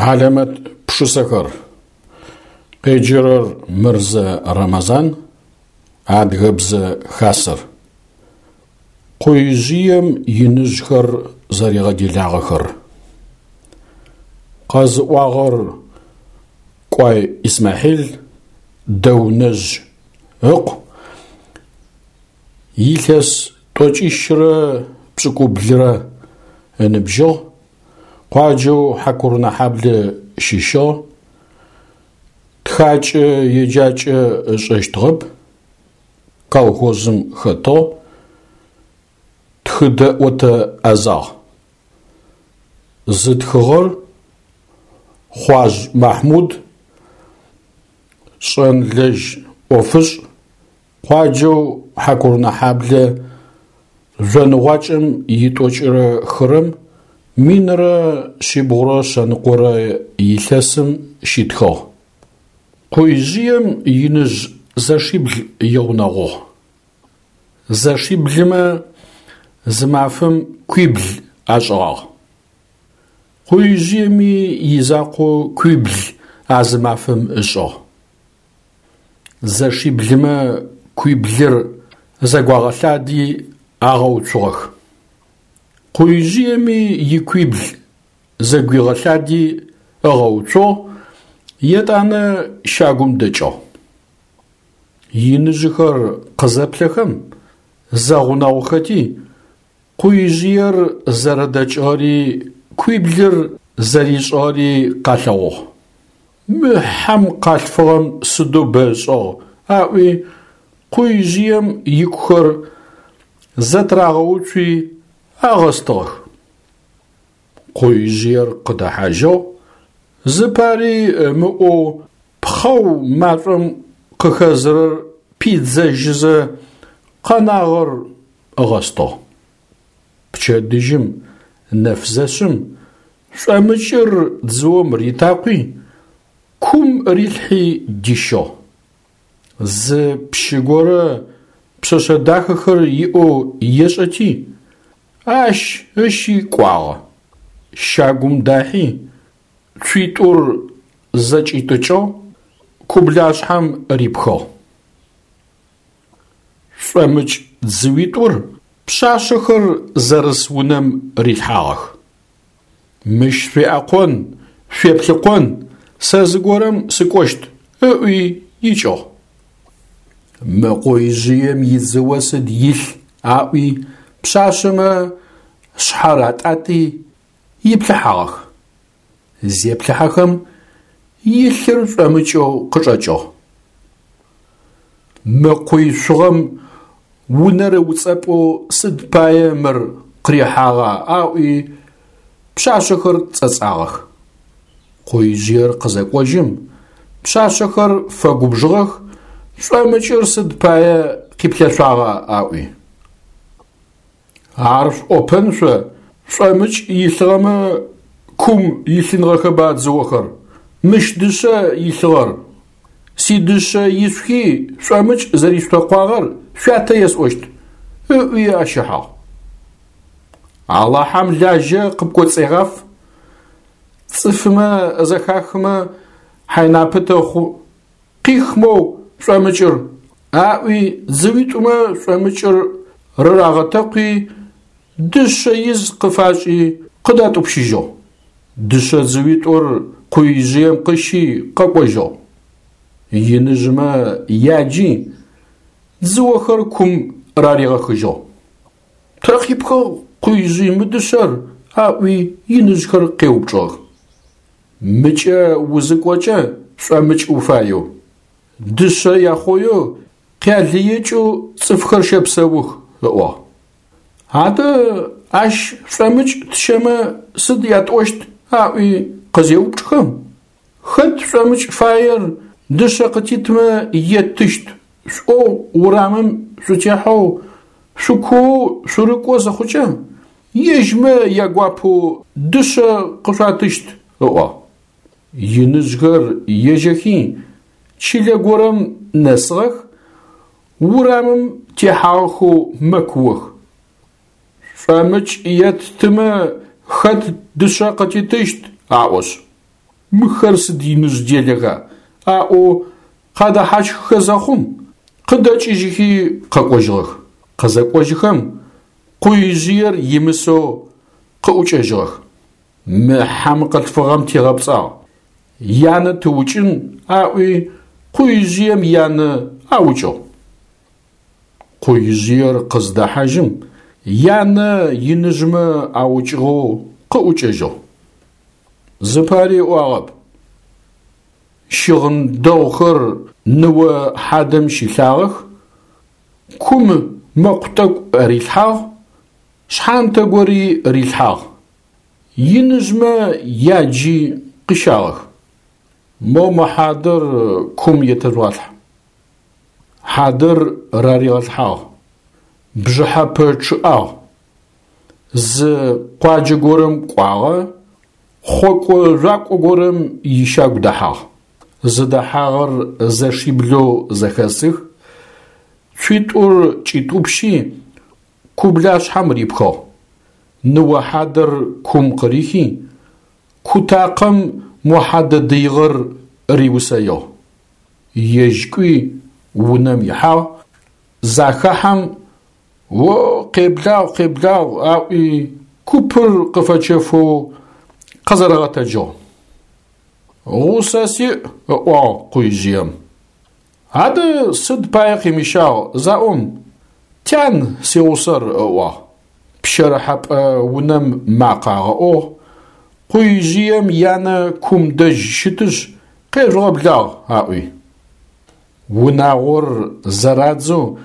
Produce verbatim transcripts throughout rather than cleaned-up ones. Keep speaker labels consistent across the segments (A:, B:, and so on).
A: Хьалэмэт пшысэхэр. Къеджэрэр Мырзэ Рэмэзан, Адыгэбзэ Хасэр. Къуижъыем иныжъхэр зэригъэделагъэхэр. Къэзыӏуагъэр Кӏуай Исмахьил, Дэунэжъ ыкъу, илъэс тӏокӏищрэ пшӏыкӏублырэ ыныбжьыгъ, къуаджэу Хьакурынэхьаблэ щыщыгъ, тхакӏэ еджакӏэ ышӏэщтыгъэп, колхозым хэтыгъ, тхыдэӏотэ ӏэзагъ. Зытхыгъэр Хъуажъ Махьмуд, шӏэнлэжь ӏофышӏ, къуаджэу Хьакурынэхьаблэ жъоныгъуакӏэм итӏокӏырэ хырэм минрэ шъибгъурэ шъэныкъорэ илъэсым щитхыгъ. Къуижъыем иныжъ зэшибл игъунэгъугъ. Зэшиблымэ зы мафэм куибл ашӏыгъагъ. Къуижъыеми изакъоу куибл а зы мафэм ышӏыгъ. Зэшиблымэ куиблыр зэгуагъэлъади агъэуцугъэх. Къуижъыеми икуибл зэгуигъэлъади ыгъэуцугъ, етӏанэ щагум дэкӏыгъ. Иныжъыхэр къызэплъэхэм, зэгъунэгъухэти, къуижъыер зэрэдэкӏыгъэри куиблыр зэришӏыгъэри къалъэгъугъ. Мы хьэм къалъфыгъэм сыдэу бэ ышӏыгъ, аӏуи къуижъыем икухэр зэтырагъэуцуи агъэстыгъэх. Къуижъыер къыдэхьажьыгъ, зыпари ымыӏоу пхъэу машӏом къыхэзырэр пидзэжьызэ къэнагъэр ыгъэстыгъ. Пчэдыжьым нэф зэшъым шӏомыкӏыр дзыом ритакъуи, кум рилъхьи дищыгъ. Зы пщы горэ пшъэшъэ дахэхэр иӏэу ешӏэти, ащ ыщи кӏуагъэ. Щагум дахьи, цуитӏур зэкӏитӏыкӏыгъ, кублашъхьэм рипхыгъ. Шӏомыкӏ дзыуитӏур пшъашъэхэр зэрыс унэм рилъхьагъэх. Мыщ шъуеӏэкъон, шъуеплъыкъон, сэ зыгорэм сыкӏощт, ыӏуи икӏыгъ. Мы къуижъыем идзыо сыд илъ, аӏуи пшъашъэмэ шъхьэр атӏати иплъыхьагъэх. Зеплъыхьэхэм илъыр шӏомыкӏэу къычӏэкӏыгъ. Мы къуй шъугъэм унэр ыуцӏэпӏэу сыд пае мыр къырихьагъа, аӏуи пшъашъэхэр цӏэцӏагъэх. Къуижъыер къызэкӏожьым, пшъашъэхэр фэгубжыгъэх, шӏомыкӏыр сыд пае къиплъэшъуагъа, аӏуи. Ар шъуӏопэн шъо, шӏомыкӏ илъыгъэмэ кум илъынгъэхэба дзыохэр, мыщ дышъэ илъыгъэр. Сидышъэ ишъухи шӏомыкӏ зэришъутэкъуагъэр шъуятэ есӏощт, ыӏуи ащ ыхьыгъ. Алахьэм лажьэ къыпкӏоцӏегъаф, цӏыфымэ зэхахымэ хьайнапэ тэхъу, къих моу шӏомыкӏыр, аӏуи дзыуитӏумэ шӏомыкӏыр рырагъэтэкъуи, дышъэ из къыфашӏи къыдатӏупщыжьыгъ. Дышъэ дзыуитӏур къуижъыем къыщи къэкӏожьыгъ. Иныжъымэ яджи дзыохэр кум раригъэхыжьыгъ. Тэ къипхыгъ къуижъый мы дышъэр, аӏуи иныжъхэр къеупчӏыгъэх. Мыкӏэ узыкӏокӏэ шӏомыкӏ уфаеу, дышъэ яхъоеу къялыекӏэу цӏыфхэр щэпсэух, ыӏуагъ. Адэ ащ шӏомыкӏ тщэмэ сыд ятӏощт, аӏуи къызеупчӏхэм, хэт шӏомыкӏ фаер дышъэ къытитмэ еттыщт, шӏоу урамым шъутехьэу шъукуоу шъурыкӏо зыхъукӏэ, ежьмэ ягуапэу дышъэ къышъуатыщт, ыӏуагъ. Иныжъхэр ежьэхи чылэ горэм нэсыгъэх, урамым техьагъэхэу мэкуох. Шӏомыкӏ еттымэ хэт дышъэ къытитыщт, аӏошъ. Мыхэр сыд иныжъ делэха? Аӏоу къадэхьащхыхэ зэхъум, къыдэкӏыжьыхи къэкӏожьыгъэх. Къызэкӏожьыхэм, къуижъыер имысэу къыӏукӏэжьыгъэх. Мы хьэм къылъфыгъэм тигъэпцӏагъ, янэ тыукӏын, аӏуи къуижъыем янэ аукӏыгъ. Къуижъыер къыздэхьажьым, янэ иныжъмэ аукӏыгъэу къыӏукӏэжьыгъ. Зыпари ыӏуагъэп. Щыгъын дэгъухэр ныо хьадэм щилъагъэх, кум мэкъу тӏэкӏу рилъхьагъ, шъхьантэ гори рилъхьагъ. Иныжъмэ яджи къыщагъэх. Мо мы хьадэр кум етэжъугъалъхь. Хьадэр раригъэлъхьагъ. Бжыхьэпэ чъыӏагъ. Зы къуаджэ горэм кӏуагъэ, хъокӏо жъуакӏо горэм ищагу дэхьагъ. Зыдэхьагъэр зэшиблэу зэхэсых, цуитӏур кӏитӏупщи, кублашъхьэм рипхыгъ. Ныо хьадэр кум къырихи, кутакъэм мо хьадэ дыигъэр риусэигъ. Ежь кӏуи унэм ихьагъ, захэхьэм «О, къеблагъ, къеблагъ!» аӏуи купыр къыфэчэфэу къэзэрэгъэтэджыгъ. Гъусэ сиӏ, ыӏуагъ къуижъыем. Адэ сыд пае къимыщагъ заӏом, тян сигъусэр ыӏуагъ. Пщэрыхьэпӏэ унэм макъэ агъэӏугъ, къуижъыем янэ кум дэжь щытышъ, къежъугъэблагъ, аӏуи. Унагъор зэрадзэу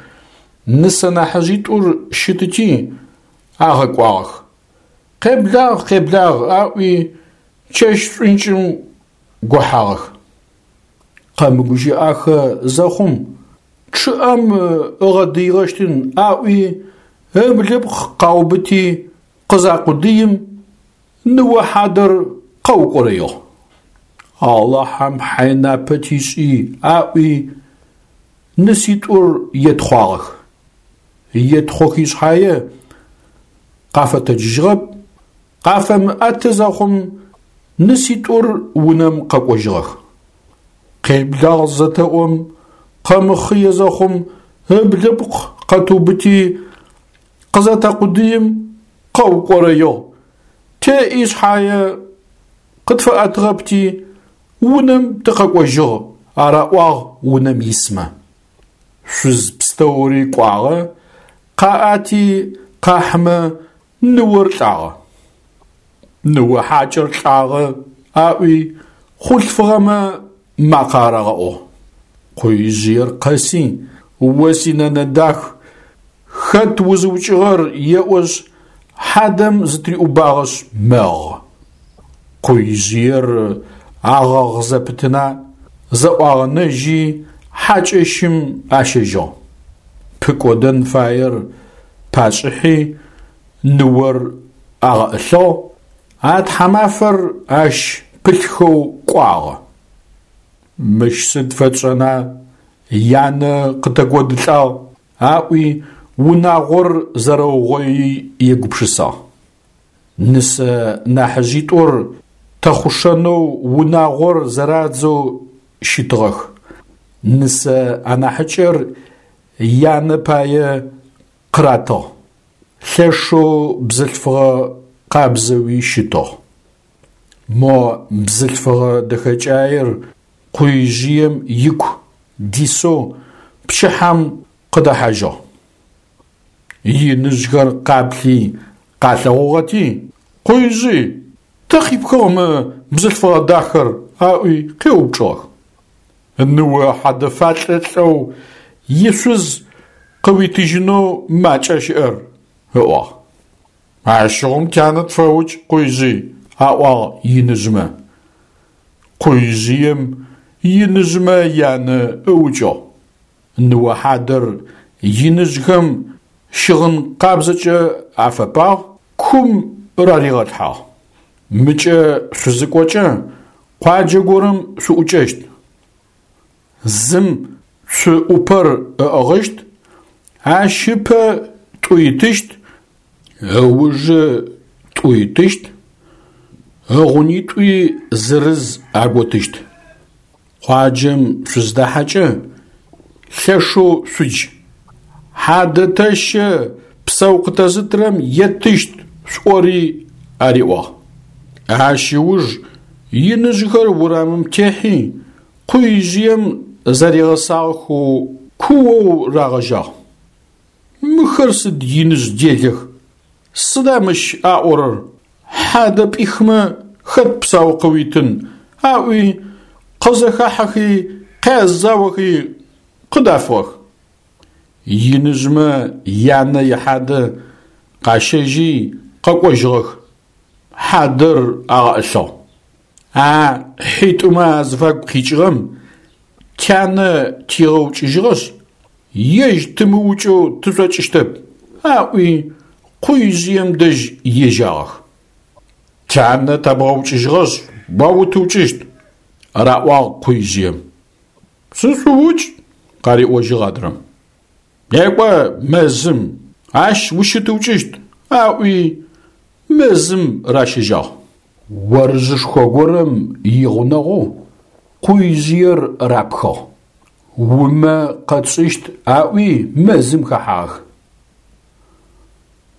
A: нысэ нахьыжъитӏур щытыти агъэкӏуагъэх. Къеблагъ, къеблагъ, аӏуи чэщ шӏункӏым гохьагъэх. Къэмыгущыӏахэ зэхъум, чъыӏэм ыгъэдыигъэщтын аӏуи ыблыпкъ къаубыти къызакъудыим, ныо хьадэр къэукӏорэигъ. Алахьэм хьайнапэ тишӏи аӏуи ныситӏур етхъуагъэх. Етхъохи шъхьае къафэтэджыжьыгъэп, къафэмыӏэты зэхъум ныситӏур унэм къэкӏожьыгъэх. Къеблагъ зэтэӏом, къэмыхъые зэхъум ыблыпкъ къэтыубыти къызэтэкъудыим къэукӏорэигъ. Теӏи шъхьае къытфэӏэтыгъэпти унэм тыкъэкӏожьыгъ, араӏуагъ унэм исмэ. Шъуз пстэури кӏуагъэ, къаӏати къахьымэ ныор лӏагъэ. Ныо хьакӏэр лӏагъэ, аӏуи хъулъфыгъэмэ макъэ арагъэӏугъ. Къуижъыер къэси, о синэнэ дах, хэт узыукӏыгъэр еӏошъ, хьадэм зытыриӏубагъэшъ мэгъы. Къуижъыер агъэгъ зэпытына, зэӏуагъэнэжьи хьакӏэщым ащэжьыгъ. Пыкӏодэн фаер пашӏыхьи, ныор агъэӏылъыгъ, а тхьамафэр ащ пылъхэу кӏуагъэ. Мыщ сыд фэтшӏэна, янэ къытэкӏодылӏагъ, аӏуи унагъор зэрэугъои егупшысагъ. Нысэ нахьыжъитӏур тэхъушэнэу унагъор зэрадзэу щытыгъэх. Нысэ анахьыкӏэр янэ пае къыратыгъ. Лъэшэу бзылъфыгъэ къабзэуи щытыгъ. Мо бзылъфыгъэ дэхэкӏаер къуижъыем ику дисэу пчыхьэм къыдэхьажьыгъ. Иныжъхэр къаплъи къалъэгъугъэти, «Къуижъый, тэ къипхыгъ мы бзылъфыгъэ дахэр?» аӏуи къеупчӏыгъэх. Ныо хьадэфалӏэ лӏэу ишъуз къыуитыжьынэу макӏа щыӏэр, ыӏуагъ. Ащыгъум тянэ тфэукӏ, къуижъый, аӏуагъ иныжъмэ. Къуижъыем иныжъмэ янэ ыукӏыгъ. Ныо хьадэр иныжъхэм щыгъын къабзэкӏэ афэпагъ, кум раригъэлъхьагъ. Мыкӏэ шъузыкӏокӏэ къуаджэ горэм шъуӏукӏэщт. Зым цу ӏупэр ыӏыгъыщт, ащ ыпэ тӏу итыщт, ыужы тӏу итыщт, Ыгъунитӏуи зырыз аготыщт. Къуаджэм шъуздахьэкӏэ лъэшэу шъудж: «Хьадэ тэщэ, псэу къытэзытырэм еттыщт», – шъуӏори, ариӏуагъ. Ащ ыуж иныжъхэр урамым техьи къуижъыем зэригъэсагъэхэу куоу рагъэжьагъ. Мыхэр сыд иныжъ делэх, сыда мыщ аӏорэр, хьадэ пӏихмэ хэт псау къыуитын, аӏуи къызэхахьэхи къязаохи къыдафыгъэх. Иныжъмэ янэ ихьадэ къащэжьи къэкӏожьыгъэх, хьадэр агъэӏылъыгъ. А хьитӏумэ азыфагу къикӏыгъэм тянэ тигъэукӏыжьыгъэшъ, ежь тымыукӏэу тышӏокӏыщтэп, аӏуи къуижъыем дэжь ежьагъэх. Тянэ тэбгъэукӏыжьыгъэшъ, о утыукӏыщт, раӏуагъ къуижъыем. Сышъуукӏ, къариӏожьыгъ адрэм. Некӏо мэзым, ащ ущытыукӏыщт, аӏуи мэзым ращэжьагъ. Орыжъышхо горэм игъунэгъоу къуижъыер рапхыгъ. Умэ къэтшӏыщт аӏуи мэзым хэхьагъэх.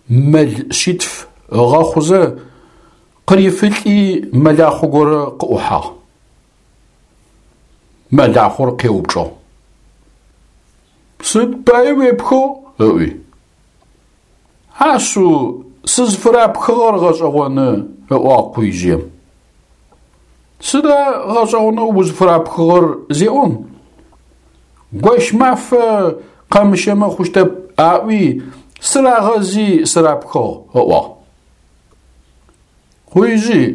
A: Мэл шъитф ыгъэхъузэ къырифылӏи мэлахъо горэ къыӏухьагъ. Мэлахъор къеупчӏыгъ: Сыд пае уепхыгъ? – ыӏуи. Ашъыу сызфырапхыгъэр гъэшӏэгъоны, ыӏуагъ къуижъыем. Сыда гъэшӏэгъонэу узфырапхыгъэр зеӏом, Гощмафэ къэмыщэмэ хъущтэп аӏуи сырагъэзи сырапхыгъ, ыӏуагъ. Къуижъый,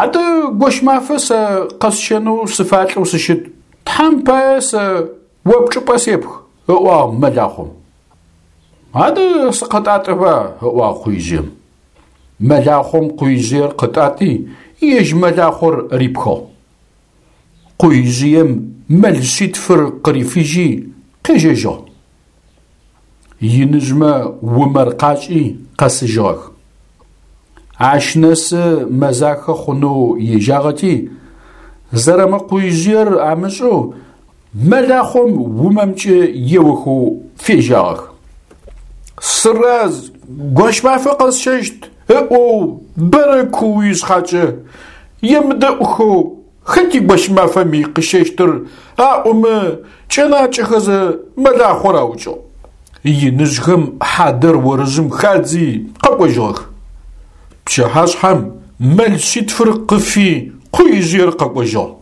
A: адэ Гощмафэ сэ къэсщэнэу сыфалӏэу сыщыт, Тхьэм пае сэ о пчӏыпӏэ сепх, ыӏуагъ мэлахъом. Адэ сыкъэтӏатӏэба, ыӏуагъ къуижъыем. Мэлахъом къуижъыер къытӏатӏи ежь мэлахъор рипхыгъ. Къуижъыем мэл шъитфыр къырифыжьи къежьэжьыгъ. Иныжъмэ умэр къашӏи къэсыжьыгъэх. Ащ нэсы мэзахэ хъунэу ежьагъэти, зэрэмыкъуижъыер амышӏэу мэлахъом умэмкӏэ еохэу фежьагъэх. Сыраз, Гощмафэ къэсщэщт ыӏоу бэрэ кууи шъхьакӏэ, емыдэӏухэу хэти Гощмафэми къыщэщтыр аӏомэ кӏэнакӏэхэзэ мэлахъор аукӏыгъ. Иныжъхэм хьадэр орыжъым хадзи къэкӏожьыгъэх. Пчыхьашъхьэм мэл шъитфыр къыфи къуижъыер къэкӏожьыгъ.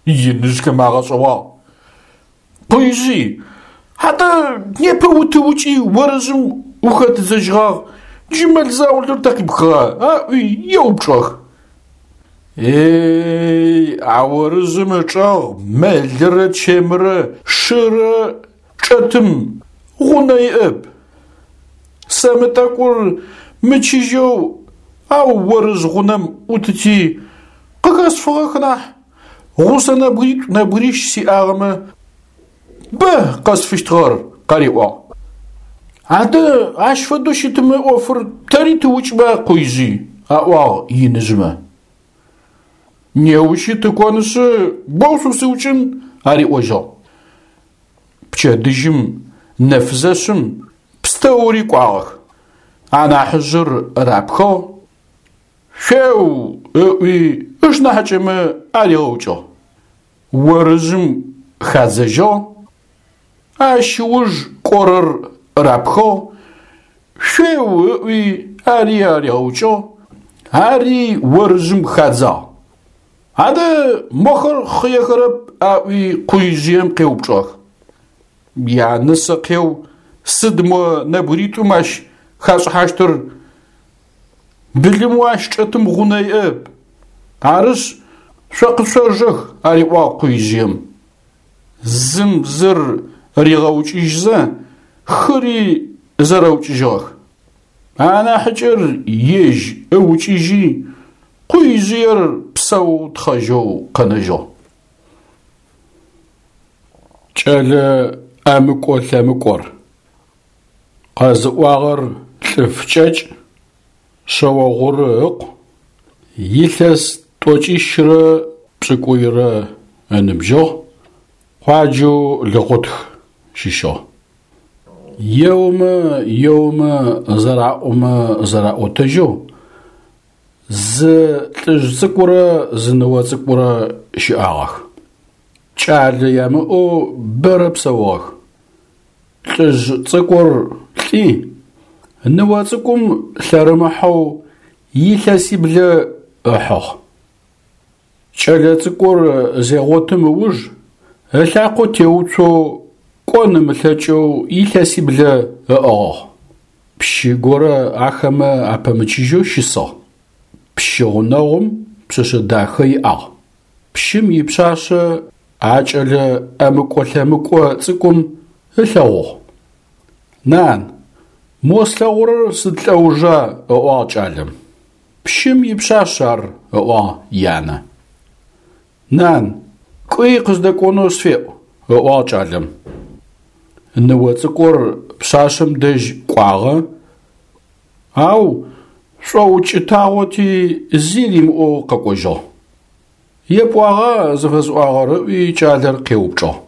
A: Иныжъхэм агъэшӏэгъуагъ. Къуижъый, адэ непэ утыукӏи орыжъым ухэтыдзэжьыгъагъ, джы мэл заулэр тэ къипхыгъа? Аӏуи еупчӏыгъэх. Эй, а орыжъым ычӏэгъ мэлырэ чэмырэ шырэ чӏэтым гъунэ иӏэп. Сэ мы тӏэкӏур мычыжьэу ау орыжъ гъунэм ӏутыти къыхэсфыгъэх нахь, гъусэ нэбгыритӏу нэбгырищ сиӏагъэмэ бэ къэсфыщтыгъэр, къариӏуагъ. Адэ ащ фэдэу щытымэ ӏофыр тэри тыукӏба, къуижъый, аӏуагъ иныжъмэ. Неущи тыкӏонышъы боу шъусыукӏын, ариӏожьыгъ. Пчэдыжьым нэф зэшъым пстэури кӏуагъэх. Анахьыжъыр рапхыгъ, шъуеу ыӏуи ышнахьыкӏэмэ аригъэукӏыгъ. Орыжъым хадзэжьыгъ, ащ ыуж кӏорэр рапхыгъ, шъуеу ыӏуи ари аригъэукӏыгъ, ари орыжъым хадзагъ. Адэ мохэр хъыехэрэп аӏуи къуижъыем къеупчӏыгъэх. Янысэ къеу, сыд мо нэбгыритӏум ащ хашӏыхьащтыр, былымэу ащ чӏэтым гъунэ иӏэп. Арышъ, шъо къышъожэх, ариӏуагъ къуижъыем. Зым зыр ригъэукӏыжьзэ хыри зэрэукӏыжьыгъэх. Анахьыкӏэр ежь ыукӏыжьи къуижъыер псэу тхъэжьэу къэнэжьыгъ. Кӏэлэ ӏэмыкӏо-лъэмыкӏор. Къэзыӏуагъэр Лӏыфкӏэкӏ, Шъэогъуры ыкъу, Илъэс тӏокӏищрэ пшӏыкӏуйрэ ыныбжьыгъ, къуаджэу Лыгъутх щыщыгъ. Еомэ еомэ зэраӏомэ зэраӏотэжьэу зы лӏыжъ цӏыкӏурэ зы ныо цӏыкӏурэ щыӏагъэх. Кӏалэ ямыӏэу бэрэ псэугъэх. Лӏыжъ цӏыкӏур лӏи, ныо цӏыкӏум лъэрымыхьэу илъэсиблэ ыхьыгъ. Кӏэлэцӏыкӏур зегъотым ыуж ылъакъо теуцоу кӏон ымылъэкӏэу илъэсиблэ ыӏыгъыгъ. Пщы горэ ахэмэ апэмычыжьэу щысыгъ. Пщы гъунэгъум пшъэшъэ дахэ иӏагъ. Пщым ипшъашъэ а кӏэлэ ӏэмыкӏо-лъэмыкӏо цӏыкӏум ылъэгъугъ. Нан, мо слъэгъурэр сыд лӏэужа? ыӏуагъ кӏалэм. Пщым ипшъашъ ар, ыӏуагъ янэ. Нан, кӏуи къыздэкӏонэу сфеӏу, ыӏуагъ кӏалэм. Ныо цӏыкӏур пшъашъэм дэжь кӏуагъэ, ау шӏоукӏытагъоти зи римыӏоу къэкӏожьыгъ. Епӏуагъа зыфэсӏуагъэр ыӏуи кӏалэр къеупчӏыгъ.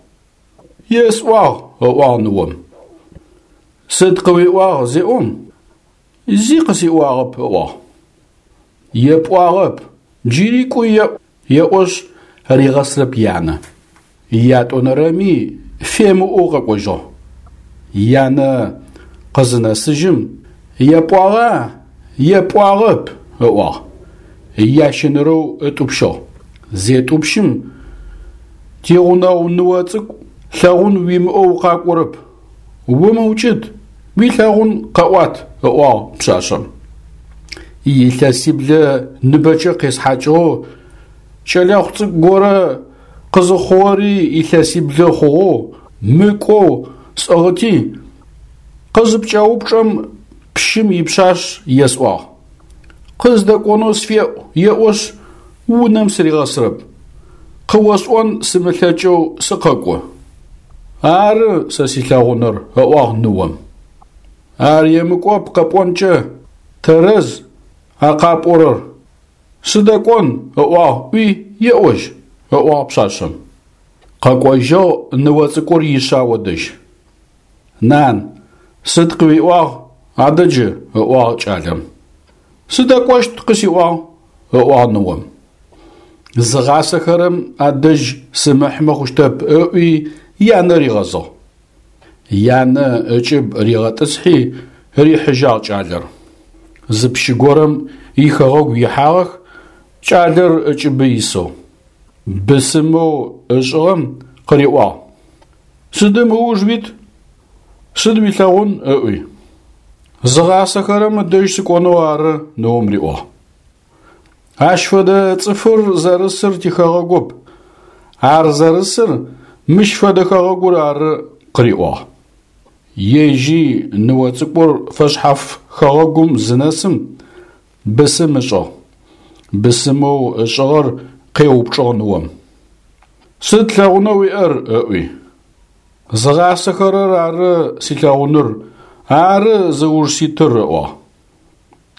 A: Есӏуагъ, ыӏуагъ ныом. Сыд къыуиӏуагъ зеӏом, зи къысиӏуагъэп, ыӏуагъ. Епӏуагъэп, джыри кӏуи еӏу, еӏошъ ригъэсрэп янэ. Ятӏонэрэми фемыӏоу къэкӏожьыгъ. Янэ къызынэсыжьым, епӏуагъа, епӏуагъэп, ыӏуагъ. Ящэнэрэу ытӏупщыгъ. Зетӏупщым, тигъунэгъу ныо цӏыкӏу лъэгъун уимыӏэу укъакӏорэп. Умыукӏыт, уилъэгъун къэӏуат, ыӏуагъ пшъашъэм. Илъэсиблэ ныбэкӏэ къесхьакӏыгъэу кӏэлэхъу цӏыкӏу горэ къызыхъугъэри илъэсиблэ хъугъэу мыкӏоу сӏыгъыти, къызыпкӏэупчӏэм пщым ипшъашъ есӏуагъ. Къыздэкӏонэу сфеӏу, еӏошъ, унэм сыригъэсрэп. Къыосӏон сымылъэкӏэу сыкъэкӏо. Ары сэ силъэгъуныр, ыӏуагъ ныом. Ар емыкӏоп къэпӏонкӏэ, тэрэз а къапӏорэр. Сыдэкӏон, ыӏуагъ ӏуи еӏожь, ыӏуагъ пшъашъэм. Къэкӏожьыгъ ныо цӏыкӏур ишъао дэжь. Нан, сыд къыуиӏуагъ адэ джы, ыӏуагъ кӏалэм. Сыдэкӏощт къысиӏуагъ, ыӏуагъ ныом. Зыгъасэхэрэм адэжь сымыхьмэ хъущтэп, ыӏуи янэ ригъэзыгъ. Янэ ыкӏыб ригъэтӏысхьи рихьыжьагъ кӏалэр. Зы пщы горэм ихэгъэгу ихьагъэх, кӏалэр ыкӏыбы исэу. Бысымэу ышӏыгъэм къыриӏуагъ: Сыдым ыуж уит? Сыд уилъэгъун? Ыӏуи. Зыгъасэхэрэм дэжь сыкӏонэу ары, ныом риӏуагъ. Ащ фэдэ цӏыфыр зэрысыр тихэгъэгоп. Ар зэрысыр мыщ фэдэ хэгъэгур ары, къыриӏуагъ. Ежьи ныо цӏыкӏур фэшъхьаф хэгъэгум зынэсым бысым ышӏыгъ. Бысымэу ышӏыгъэр къеупчӏыгъ ныом. Сыд лъэгъунэу уиӏэр? Ыӏуи. Зыгъасэхэрэр ары силъэгъуныр, ары зыуж ситыр, ыӏуагъ.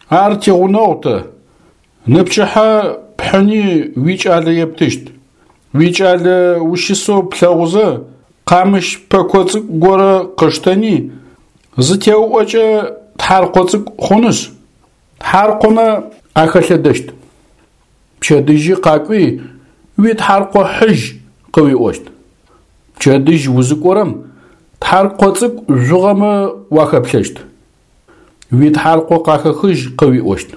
A: Ар тигъунэгъу тэ. Ныпчыхьэ пхьыни уикӏалэ ептыщт. Уикӏалэ ущысэу плъэгъузэ, къамыщ пэко цӏыкӏу горэ къыштэни, зытеуӏокӏэ тхьаркъо цӏыкӏу хъунышъ, тхьаркъомэ ахэлъэдэщт. Пчэдыжьы къакӏуи уитхьаркъо хьыжь къыуиӏощт. Пчэдыжь узыкӏорэм тхьаркъо цӏыкӏу жъугъэмэ уахэплъэщт. Уитхьаркъо къахэхыжь къыуиӏощт.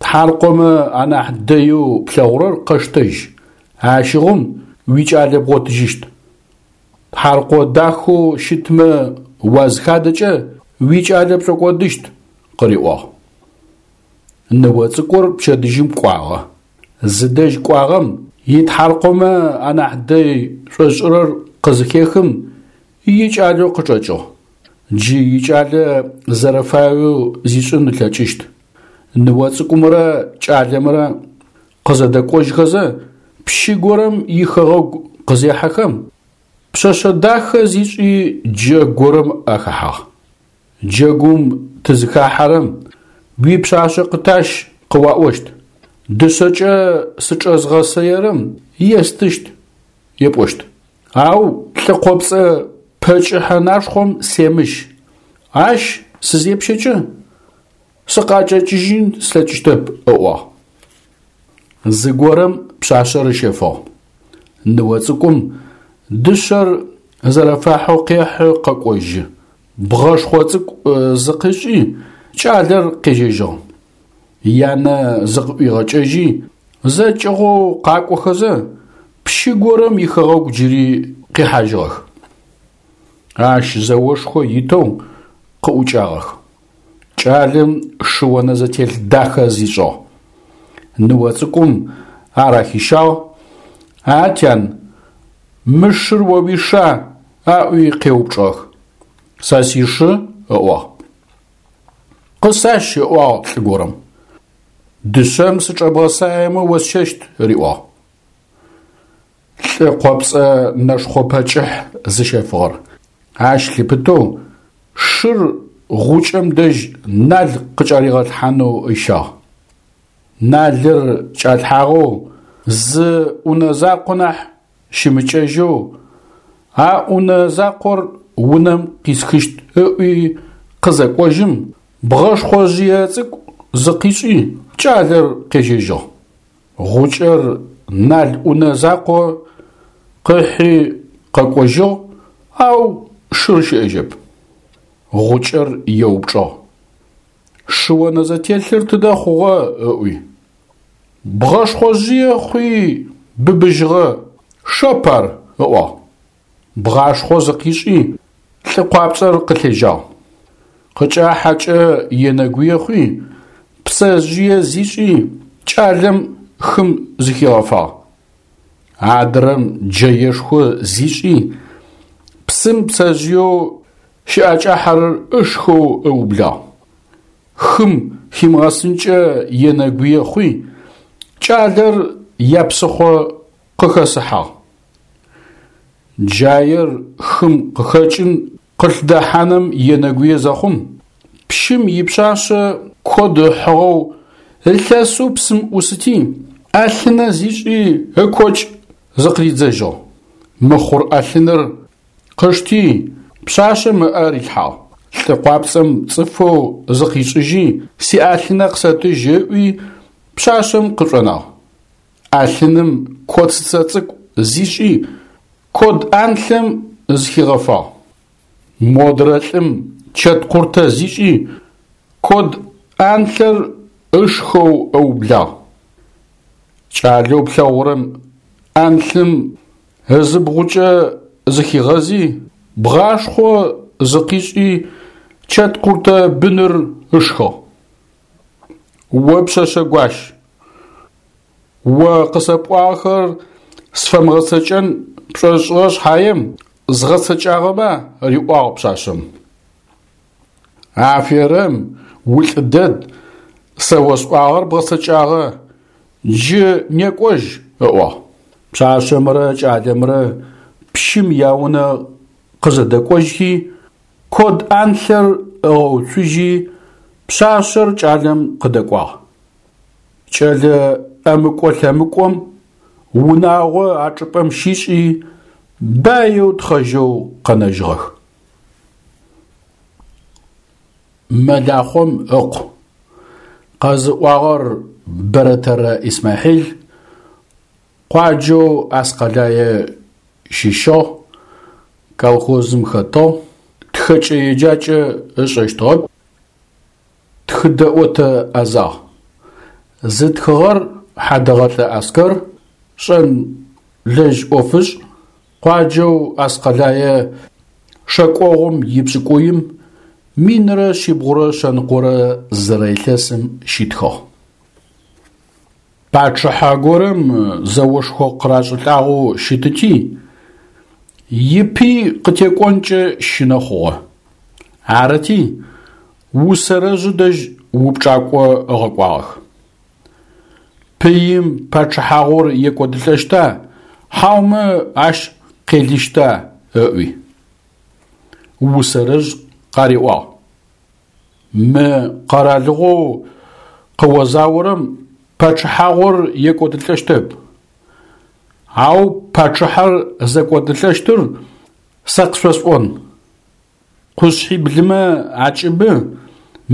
A: Тхьаркъомэ анахь дэеу плъэгъурэр къэштэжь, ащыгъум уикӏалэ бгъотыжьыщт. Тхьаркъо дахэу щытмэ уазхадэкӏэ уикӏалэ пшӏокӏодыщт, къыриӏуагъ. Ныо цӏыкӏур пчэдыжьым кӏуагъэ. Зыдэжь кӏуагъэм итхьаркъомэ анахь дэй шӏошӏырэр къызыхехым икӏалэу къычӏэкӏыгъ. Джы икӏалэ зэрэфаеу зишӏын ылъэкӏыщт. Ныо цӏыкӏумрэ кӏалэмрэ къызэдэкӏожьхэзэ пщы горэм ихэгъэгу къызехьэхэм, пшъэшъэ дахэ зишӏи джэгу горэм ахэхьагъ. Джэгум тызыхахьэрэм уипшъашъэ къытащ къыуаӏощт. Дышъэкӏэ сычӏэзгъэсэерэм естыщт епӏощт. Ау лӏы къопцӏэ пэ кӏыхьэ нашхъом семыщ, ащ сызепщэкӏэ сыкъакӏэкӏыжьын слъэкӏыщтэп, ыӏуагъ. Зыгорэм пшъашъэр ыщэфыгъ. Ныо цӏыкӏум дышъэр зэрэфахьэу къехьы къэкӏожьы. Бгъэшхъо цӏыкӏу зыкъишӏи, кӏалэр къежьэжьыгъ. Янэ зыкъыӏуигъэкӏэжьи, зэкӏыгъоу къакӏохэзэ, пщы горэм ихэгъэгу джыри къихьажьыгъэх. Ащ зэошхо итэу къыӏукӏагъэх. Кӏалэм шы онэзэтелъ дахэ зишӏыгъ. Ныо цӏыкӏум ар ахищагъ: «А тян, мы шыр о уиша?» аӏуи къеупчӏыгъэх. «Сэ сишы», ыӏуагъ. «Къысащ», ыӏуагъ лӏы горэм. «Дышъэм сычӏэбгъэсаемэ осщэщт», риӏуагъ. Лӏы къопцӏэ нэшхъо пэ кӏыхь зыщэфыгъэр. Ащ лъыпытэу шыр гъукӏэм дэжь нал къыкӏаригъэлъхьанэу ыщагъ. Налыр кӏалъхьагъэу зы ӏунэ закъо нахь щымыкӏэжьэу, а ӏунэ закъор унэм къисхыщт ыӏуи къызэкӏожьым, бгъэшхъожъые цӏыкӏу зыкъишӏи, кӏалэр къежьэжьыгъ. Гъукӏэр нал ӏунэ закъо къыхьи къэкӏожьыгъ, ау шыр щыӏэжьэп. Гъукӏэр еупчӏыгъ: «Шы онэзэтелъыр тыдэ хъугъэ?» ыӏуи. Бгъэшхъожъые хъуи быбыжьыгъэ, шэп ар, ыӏуагъ. Бгъашхъо зыкъишӏи, лӏы къуапцӏэр къылъежьагъ. Къыкӏахьэкӏэ енэгуе хъуи, пцэжъые зишӏи, кӏалэм хым зыхигъэфагъ. Адрэм джэешхо зишӏи, псым пцэжъыеу щыӏэкӏахьэрэр ышхэу ыублагъ. Хым химыгъэсынкӏэ енэгуе хъуи, кӏалэр япсыхъо къыхэсыхьагъ. Джаер хым къыхэкӏын къылъдэхьаным енэгуе зэхъум, пщым ипшъашъэ код ыхьыгъэу ылъэсэу псым ӏусыти, ӏэлъынэ зишӏи ыкокӏ зыкъыридзэжьыгъ. Мыхъур ӏэлъыныр къышти, пшъашъэм ыӏэ рилъхьагъ. Лӏы къуапцӏэм цӏыфэу зыкъишӏыжьи, сиӏэлъынэ къысэтыжь ыӏуи, пшъашъэм къышӏонагъ. ӏэлъыным коцыцэ цӏыкӏу зишӏи, код ӏанлъэм зыхигъэфагъ. Модрэ лӏым чэткъуртэ зишӏи, код ӏанлъэр ышхэу ыублагъ. Кӏалэу плъэгъурэм ӏанлъым ызыбгъукӏэ зыхигъэзи, бгъашхъо зыкъишӏи, чэткъуртэ быныр ышхыгъ. О пшъэшъэ гуащ, о къысэпӏуагъэхэр сфэмыгъэцэкӏэн пшӏошӏыгъэ шъхьаем згъэцэкӏагъэба, риӏуагъ пшъашъэм. Аферэм, улӏы дэд, сэ осӏуагъэр бгъэцэкӏагъэ, джы некӏожь, ыӏуагъ. Пшъашъэмрэ кӏалэмрэ пщым яунэ къызэдэкӏожьхи, код ӏанлъэр ыгъэуцужьи, пшъашъэр кӏалэм къыдэкӏуагъ. Кӏэлэ ӏэмыкӏо-лъэмыкӏом унагъо а чӏыпӏэм щишӏи, баеу тхъэжьэу къэнэжьыгъэх. Мэлахъом ыкъу. Къэзыӏуагъэр Бэрэтэрэ Исмахьил, къуаджэу Аскъэлае щыщыгъ, колхозым хэтыгъ, тхэкӏэ-еджакӏэ ышӏэщтыгъэп, тхыдэӏотэ ӏэзагъ. Зытхыгъэр Хьадэгъэлӏэ Аскэр, шӏэнлэжь ӏофышӏ, къуаджэу Аскъэлае шэкӏогъум ипшӏыкӏуим минрэ шъибгъурэ шъэныкъорэ зырэ илъэсым щитхыгъ. Пачъыхьэ горэм зэошхо къырашӏылӏагъэу щытыти, ипый къытекӏонкӏэ щынэ хъугъэ. Арыти, усэрэжъы дэжь упчӏакӏо ыгъэкӏуагъэх. Пыим пачъыхьагъур екӏодылӏэщта, хьаумэ ащ къелыщта ыӏуи. Усэрэжъ къариӏуагъ: Мы къэралыгъоу къыозаорэм пачъыхьагъур екӏодылӏэщтэп, ау пачъыхьэр зэкӏодылӏэщтыр сэ къышъосӏон. Къушъхьиблымэ акӏыбы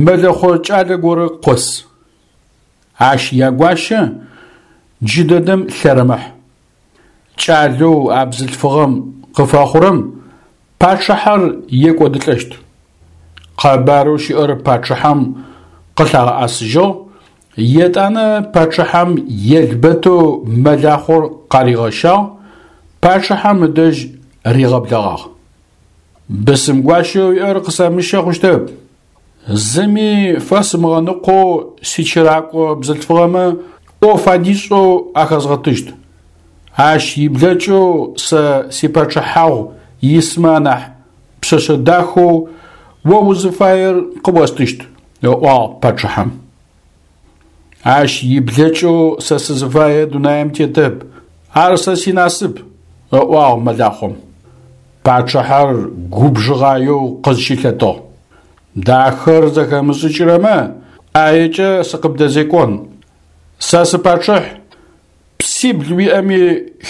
A: мэлэхъо кӏалэ горэ къос. Ащ ягуащэ джыдэдэм лъэрымыхь. Кӏалэу а бзылъфыгъэм къыфэхъурэм пачъыхьэр екӏодылӏэщт. Къэбарэу щыӏэр пачъыхьэм къылъагъэӏэсыжьыгъ, етӏанэ пачъыхьэм елбэтэу мэлахъор къаригъэщагъ, пачъыхьэм ыдэжь ригъэблэгъагъ. Бысымгуащэу уиӏэр къысэмыщэ хъущтэп. Зыми фэсымыгъэныкъоу сичыракӏо бзылъфыгъэмэ ӏоф адишӏэу ахэзгъэтыщт. Ащ иблэкӏэу сэ сипачъыхьагъу исмэ анахь пшъэшъэ дахэу о узыфаер къыостыщт, ыӏуагъ пачъыхьэм. Ащ иблэкӏэу сэ сызыфае дунаим тетэп, ар сэ синасып, ыӏуагъ мэлахъом. Пачъыхьэр губжыгъаеу къызщылъэтыгъ. Дахэр зэхэмышӏыкӏырэмэ ӏаекӏэ сыкъыбдэзекӏон. Сэ сыпачъыхь, псибл уиӏэми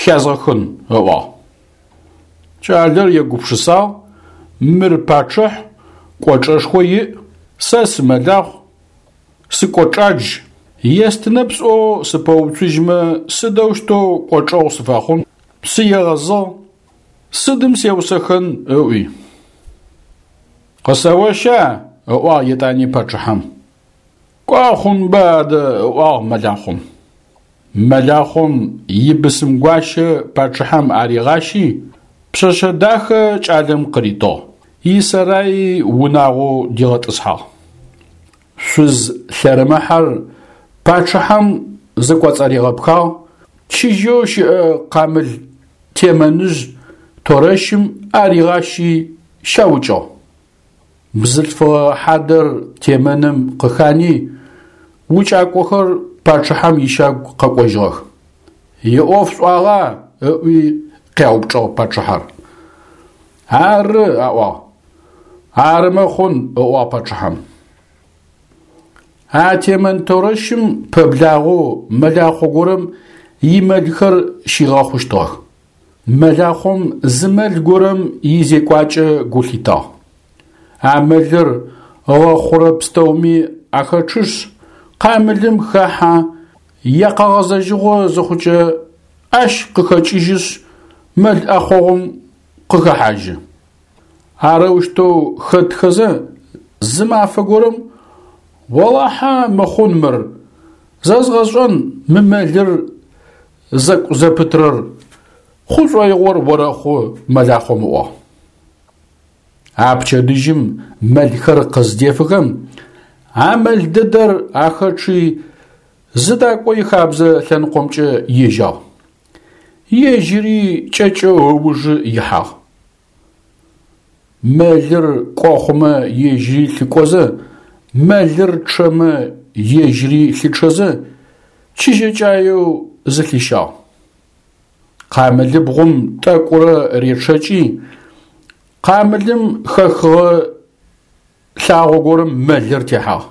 A: хязгъэхын, ыӏуагъ. Кӏалэр егупшысагъ, мыр пачъыхь, кӏочӏэшхо иӏ, сэ сымэлахъу, сыкӏочӏадж, естынэп сӏоу сыпэуцужьмэ сыдэущтэу кӏочӏэгъу сыфэхъун, сыегъэзыгъ, сыдым сеусэхэн ыӏуи. Къысэоща? Ыӏуагъ етӏани пачъыхьэм. Кӏо хъунба адэ, ыӏуагъ мэлахъом. Мэлахъом ибысымгуащэ пачъыхьэм аригъащи, пшъэшъэ дахэ кӏалэм къыритыгъ, исэраи унагъоу дигъэтӏысхьагъ. Шъуз лъэрымыхьэр пачъыхьэм зыкӏоцӏаригъэпхагъ, чыжьэу щыӏэ къамыл темэныжъ торэщым аригъащи щаукӏыгъ. Бзылъфыгъэ хьадэр темэным къыхани, укӏакӏохэр пачъыхьэм ищагу къэкӏожьыгъэх. Иӏоф шӏуагъа? Ыӏуи къяупчӏыгъ пачъыхьэр. Ары, аӏуагъ. Арымэ хъун, ыӏуагъ пачъыхьэм. А темэн торэщым пэблагъэу мэлахъо горэм имэлхэр щигъэхъущтыгъэх. Мэлахъом зы мэл горэм изекӏуакӏэ гу лъитагъ. А мэлыр ыгъэхъурэ пстэуми ахэчъышъ, къамылым хэхьэ, якъэгъэзэжьыгъо зыхъукӏэ ащ къыхэкӏыжьышъ, мэл ӏэхъогъум къыхэхьажьы. Арэущтэу хэтхэзэ зы мафэ горэм «Олахьэ мыхъун мыр, зэзгъэшӏэн мы мэлыр зэкӏу зэпытрэр, хъу шӏоигъор орэхъу» мэлахъом ыӏуагъ. А пчэдыжьым мэлхэр къыздефыхэм, а мэл дэдэр ахэчъи зыдакӏо ихабзэ лъэныкъомкӏэ ежьагъ. Ежьыри кӏэкӏэу ыужы ихьагъ. Мэлыр кӏо хъумэ ежьыри лъыкӏозэ, мэлыр чъэмэ ежьыри лъычъэзэ, чыжьэкӏаеу зылъищагъ. Къамылыбгъум тӏэкӏурэ речъэкӏи, къамылым хэхыгъэ лъагъо горэм мэлыр техьагъ.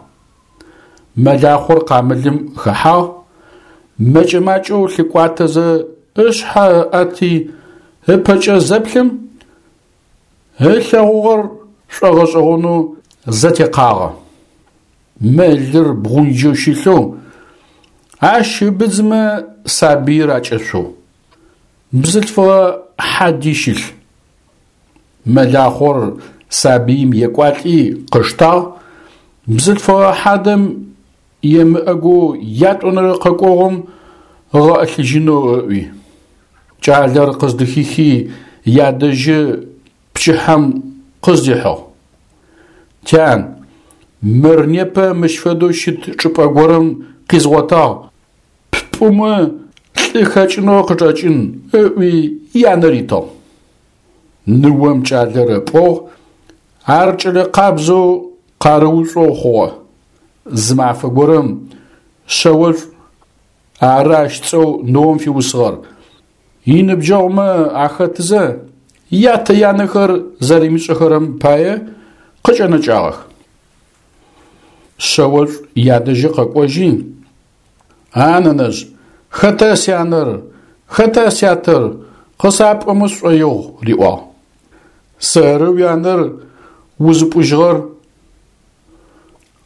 A: Мэлахъор къамылым хэхьагъ, мэкӏэ-макӏэу лъыкӏуатэзэ ышъхьэ ыӏэти ыпэкӏэ зэплъым, ылъэгъугъэр шӏогъэшӏэгъонэу зэтекъагъэ. Мэлыр бгъунджэу щылъэу, ащ ыбыдзымэ сабыир акӏэшъоу. Бзылъфыгъэ хьади щылъ. Мэлахъор сабыим екӏуалӏи къыштагъ, бзылъфыгъэ хьадэм емыӏэгоу ятӏонэрэ къэкӏогъум ыгъэӏылъыжьынэу ыӏуи. Кӏалэр къыздыхихи ядэжьы пчыхьэм къыздихьыгъ. Тян, мыр непэ мыщ фэдэу щыт чӏыпӏэ горэм къизгъотагъ, ппӏумэ лӏы хэкӏынэу къычӏэкӏын, ыӏуи янэ ритыгъ. Ныом кӏалэр ыпӏугъ, ар кӏэлэ къабзэу къарыушӏоу хъугъэ. Зы мафэ горэм шъэошӏу, ары ащ цӏэу ныом фиусыгъэр, иныбджэгъумэ ахэтызэ ятэ-янэхэр зэримышӏэхэрэм пае къыкӏэнэкӏагъэх. Шъэошӏу ядэжьы къэкӏожьи, А нэнэжъ, хэта сянэр, хэта сятэр, къысапӏомэ сшӏоигъу, риӏуагъ. Сэры уянэр узыпӏужьыгъэр.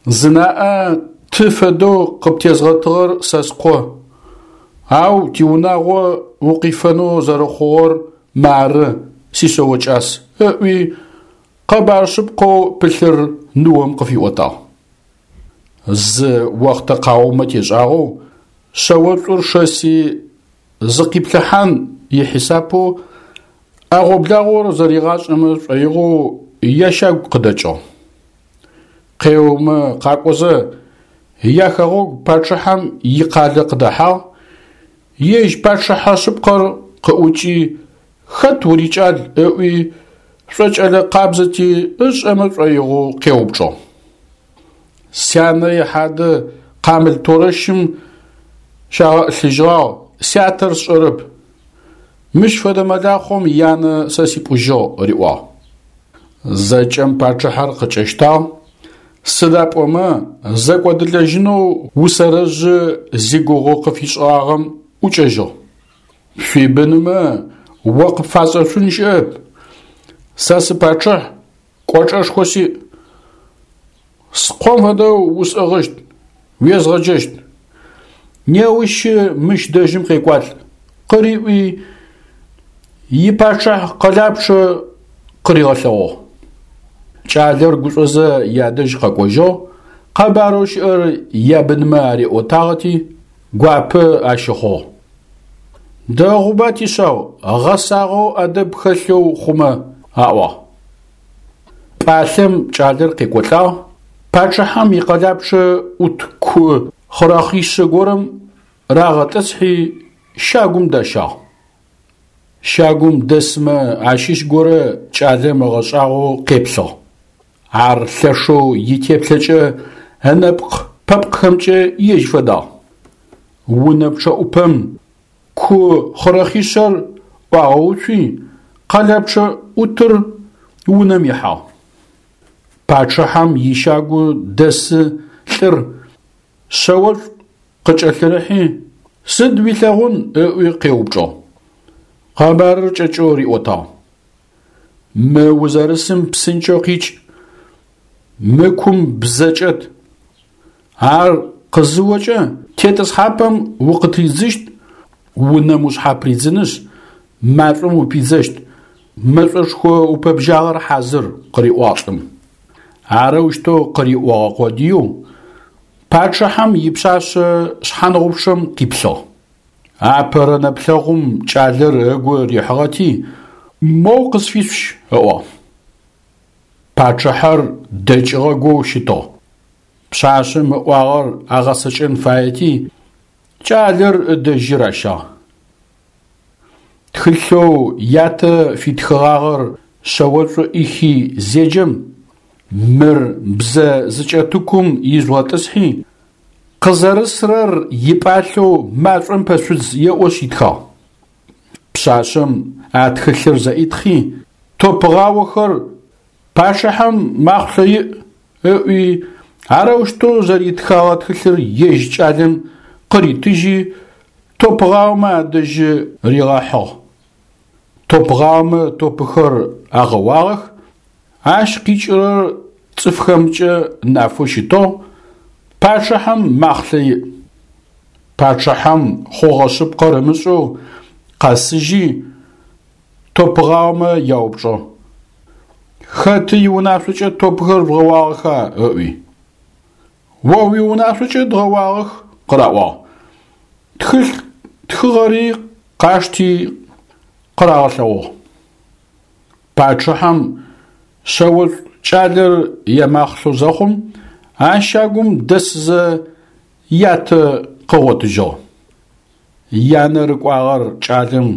A: Зынаӏэ ты фэдэу къыптезгъэтыгъэр сэ скъо, ау тиунагъо укъифэнэу зэрэхъугъэр мары, сишъэо кӏас, ыӏуи къэбар шъыпкъэу пылъыр ныом къыфиӏотагъ. Зы охътэ къаумэ тешӏагъэу шъэошӏур шэси зыкъиплъыхьан ихьисапэу ӏэгъо-благъор зэригъашӏэмэ шӏоигъоу ящагу къыдэкӏыгъ. Къеомэ къакӏозэ яхэгъэгу пачъыхьэм икъалэ къыдэхьагъ, ежь пачъыхьэ шъыпкъэр къыӏукӏи хэт урикӏал ыӏуи шӏокӏэлэ къабзэти ышӏэмэ шӏоигъоу къеупчӏыгъ. Сянэ ихьадэ къамыл торэщым щагъэӏылъыжьыгъагъ, сятэр сшӏэрэп. Мыщ фэдэ мэлахъом янэ сэ сипӏужьыгъ, риӏуагъ. Зэкӏэм пачъыхьэр къыкӏэщтагъ, сыда пӏомэ зэкӏодылэжьынэу усэрэжъы зигугъу къыфишӏыгъагъэм ӏукӏэжьыгъ. Шъуибынымэ о къыпфашӏэшъун щыӏэп. Сэ сыпачъыхь, кӏочӏэшхо сиӏ. Скъом фэдэу усӏыгъыщт, уезгъэджэщт. Неущы мыщ дэжьым къекӏуалӏ, къыриӏуи ипачъыхь къэлапчъэ къыригъэлъэгъугъ. Кӏалэр гушӏозэ ядэжь къэкӏожьыгъ, къэбарэу щыӏэр ябынмэ ариӏотагъэти, гуапэ ащыхъугъ. Дэгъуба тишъау, гъэсагъэу ӏэдэб хэлъэу хъумэ, аӏуагъ. Пӏалъэм кӏалэр къекӏолӏагъ, пачъыхьэм икъэлапчъэ ӏут ку хъырэхъишъэ горэм рагъэтӏысхьи щагум дащагъ. Щагум дэсмэ ащыщ горэ кӏалэм ыгъэшӏагъоу къеплъыгъ. Ар лъэшэу итеплъэкӏэ ынэпкъ-пэпкъхэмкӏэ ежь фэдагъ. Унэ пчъэӏупэм ку хъырэхъишъэр ӏуагъэуцуи, къэлапчъэ ӏутыр унэм ихьагъ. Пачъыхьэм ищагу дэсы лӏыр шъэошӏу къыкӏэлъырыхьи, сыд уилъэгъун ыӏуи къеупчӏыгъ. Къэбарыр кӏэкӏэу риӏотагъ. Мы узэрысым псынкӏэу къикӏ, мы кум бзэ кӏэт. Ар къызыокӏэ тетӏысхьапӏэм укъытридзыщт, унэм ушъхьапридзынышъ, машӏом упидзэщт, мэшӏошхо упэбжьагъэр хьазыр, къыриӏуагъ лӏым. Арэущтэу къыриӏогъэ къодыеу пачъыхьэм ипшъашъэ шъхьангъупчъэм къиплъыгъ. Апэрэ нэплъэгъум кӏалэр ыгу рихьыгъэти, моу къысфишъущ, ыӏуагъ. Пачъыхьэр дэкӏыгъэгоу щытыгъ. Пшъашъэм ыӏуагъэр агъэцэкӏэн фаети, кӏалэр ыдэжьы ращагъ. Тхылъэу ятэ фитхыгъагъэр шъэошӏу ӏихи зеджэм, мыр бзэ зыкӏэтыкум ижъугъэтӏысхьи, къызэрысрэр ипӏалъэу машӏом пэшъудз еӏошъ итхагъ. Пшъашъэм а тхылъыр зэӏитхъи, топгъаохэр пачъыхьэм махъулъэ иӏ, ыӏуи, арэущтэу зэритхэгъэ тхылъыр ежь кӏалэм къыритыжьи, топгъаомэ адэжьы ригъэхьыгъ. Топгъаомэ топыхэр агъэуагъэх, ащ къикӏырэр цӏыфхэмкӏэ нафэу щытыгъ, пачъыхьэм махълъэ иӏ. Пачъыхьэм хъугъэ шъыпкъэр ымышӏэу къэсыжьи, топгъаомэ яупчӏыгъ. Хэты иунашъокӏэ топхэр жъугъэуагъэха? Ыӏуи. О уиунашъокӏэ дгъэуагъэх, къыраӏуагъ. Тхылъ тхыгъэри къашти къырагъэлъэгъугъ. Пачъыхьэм шъэошӏу кӏалэр ямахълъэу зэхъум, а щагум дэсызэ ятэ къыгъотыжьыгъ. Янэ рыкӏуагъэр кӏалэм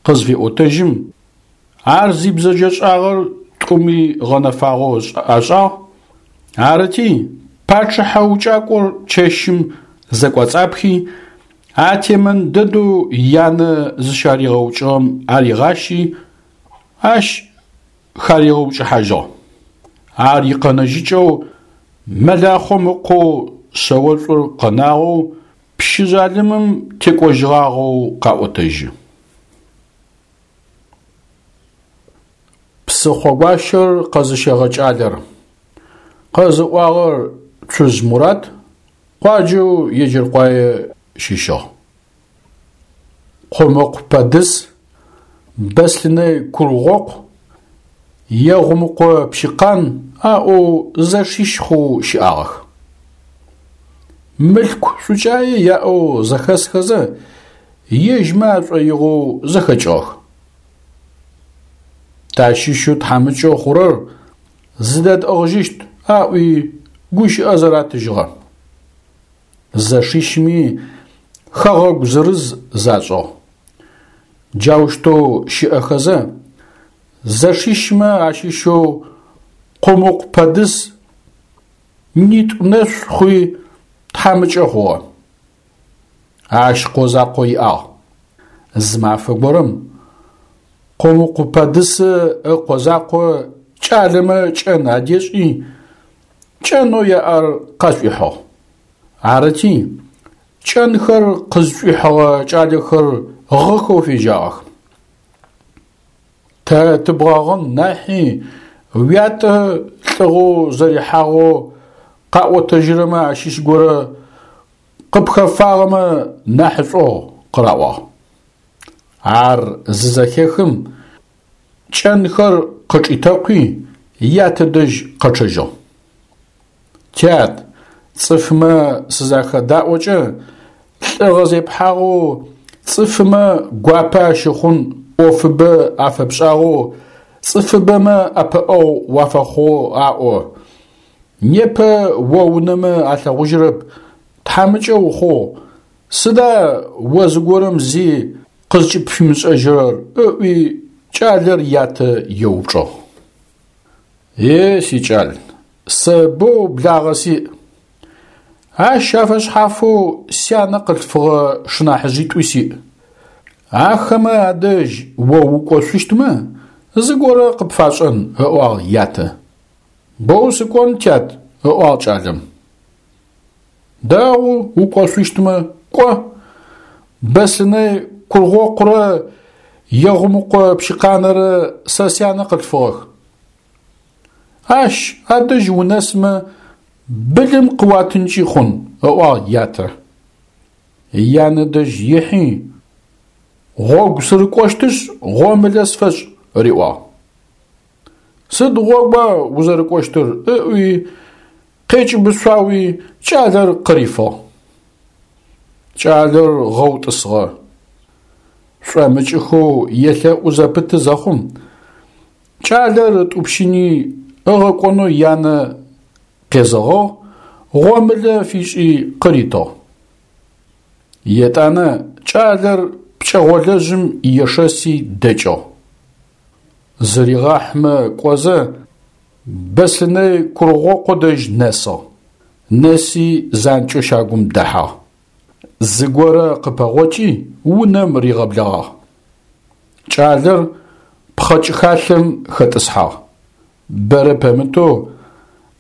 A: къызфеӏотэжьым, ар зибзэджэшӏагъэр тӏуми гъэнэфагъэу ашӏагъ. Арыти, пачъыхьэ укӏакӏор чэщым зэкӏоцӏапхи, а темэн дэдэу янэ зыщаригъэукӏыгъэм аригъащи, ащ харигъэукӏыхьажьыгъ. Ар икъэнэжьыкӏэу мэлахъом ыкъоу шъэошӏур къэнагъэу пщы Пщы жъалымым текӏожьыгъагъэу къаӏотэжьы. Псыхъогуащэр къэзыщэгъэ кӏалэр. Къэзыӏуагъэр Цужъ Мурат, къуаджэу Еджэркъуае щыщыгъ. Къумыкъу Пэдыс, Бэслъынэй Кургъокъу, Егъумыкъо Пщыкъан аӏоу зэшищ хъоу щыӏагъэх. Мылъку шӏукӏае яӏэу зэхэсхэзэ, ежьмэ ашӏоигъоу зэхэкӏыгъэх. Тащыщэу тхьамыкӏэу хъурэр зыдэтӏыгъыжьыщт, аӏуи гущыӏэ зэратыжьыгъэ. Зэшищми хэгъэгу зырыз зашӏыгъ. Джаущтэу щыӏэхэзэ, зэшищмэ ащыщэу Къумыкъу Пэдыс нитӏу нэшъу хъуи тхьамыкӏэ хъугъэ. Ащ къо закъо иӏагъ. Зы мафэ горэм Къумыкъу Пэдысы ыкъо закъо кӏалэмэ кӏэн адешӏи, кӏэнэу яӏэр къашӏуихьыгъ. Арыти, кӏэнхэр къызшӏуихьыгъэ кӏалэхэр гъыхэу фежьагъэх. Тэ тыбгъэгъын нахьи уятэ лӏыгъэу зэрихьагъэу къаӏотэжьырэмэ ащыщ горэ къыпхэфагъэмэ нахьышӏугъ, къыраӏуагъ. Ар зызэхехым, кӏэнхэр къычӏитэкъуи, ятэ дэжь къэчъэжьыгъ. Тят, цӏыфмэ сызахэдаӏокӏэ, лӏыгъэ зепхьагъэу, цӏыфмэ гуапэ ащыхъун ӏофыбэ афэпшӏагъэу, цӏыфыбэмэ ӏэпыӏэгъу уафэхъугъэу аӏо. Непэ о унэмэ алъэгъужьырэп, тхьамыкӏэ ухъугъ, сыда о зыгорэм зи къызкӏыпфимышӏэжьырэр, ыӏуи кӏалэр ятэ еупчӏыгъ. Е, сикӏал, сэ боу благъэ сиӏ. Ащ афэшъхьафэу сянэ къылъфыгъэ шынахьыжъитӏуи сиӏ. Ахэмэ адэжь о укӏошъущтмэ, зыгорэ къыпфашӏэн, ыӏуагъ ятэ. Боу сыкӏон, тят, ыӏуагъ кӏалэм. Дэгъу укӏошъущтмэ, кӏо. Бэслъынэй Кургъокъурэ Егъумыкъо Пщыкъанэрэ сэ сянэ къылъфыгъэх. Ащ адэжь унэсмэ, былым къыуатынкӏи хъун, ыӏуагъ ятэ. Янэ дэжь ихьи, гъогу сырыкӏощтышъ, гъомылэ сфэшӏ, риӏуагъ. Сыд гъогуа узэрыкӏощтыр, ыӏуи, къекӏыбышъуауи кӏалэр къырифыгъ. Кӏалэр гъэу тӏысыгъэ. Шӏомыкӏыхэу елъэӏу зэпыты зэхъум, кӏалэр ытӏупщыни ыгъэкӏонэу янэ къезэгъыгъ, гъомылэ фишӏи къыритыгъ. Етӏанэ кӏалэр пкӏэгъолэжъым ешэси дэкӏыгъ. Зыригъахьмэ кӏозэ, Бэслъынэй Кургъокъо дэжь нэсыгъ. Нэси занкӏэу щагум дэхьагъ. Зыгорэ къыпэгъокӏи унэм ригъэблэгъагъ. Кӏалэр пхъэкӏыхалъэм хэтӏысхьагъ. Бэрэ пэмытэу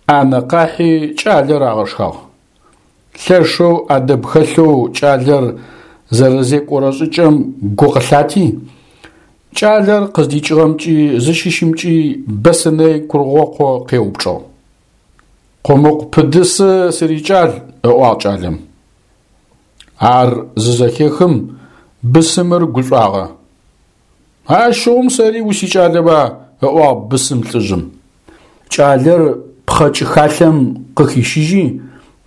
A: ӏанэ къахьи кӏалэр агъэшхагъ. Лъэшэу ӏэдэб хэлъэу кӏалэр зэрэзекӏорэ шӏыкӏэм гу къылъати, кӏалэр къыздикӏыгъэмкӏи зыщыщымкӏи Бэслъынэй Кургъокъо къеупчӏыгъ. Къумыкъу Пыдысы сырикӏал, ыӏуагъ кӏалэм. Ар зызэхехым, бысымыр гушӏуагъэ. Ащыгъум сэри усикӏалэба, ыӏуагъ бысым лӏыжъым. Кӏалэр пхъэкӏыхалъэм къыхищыжьи,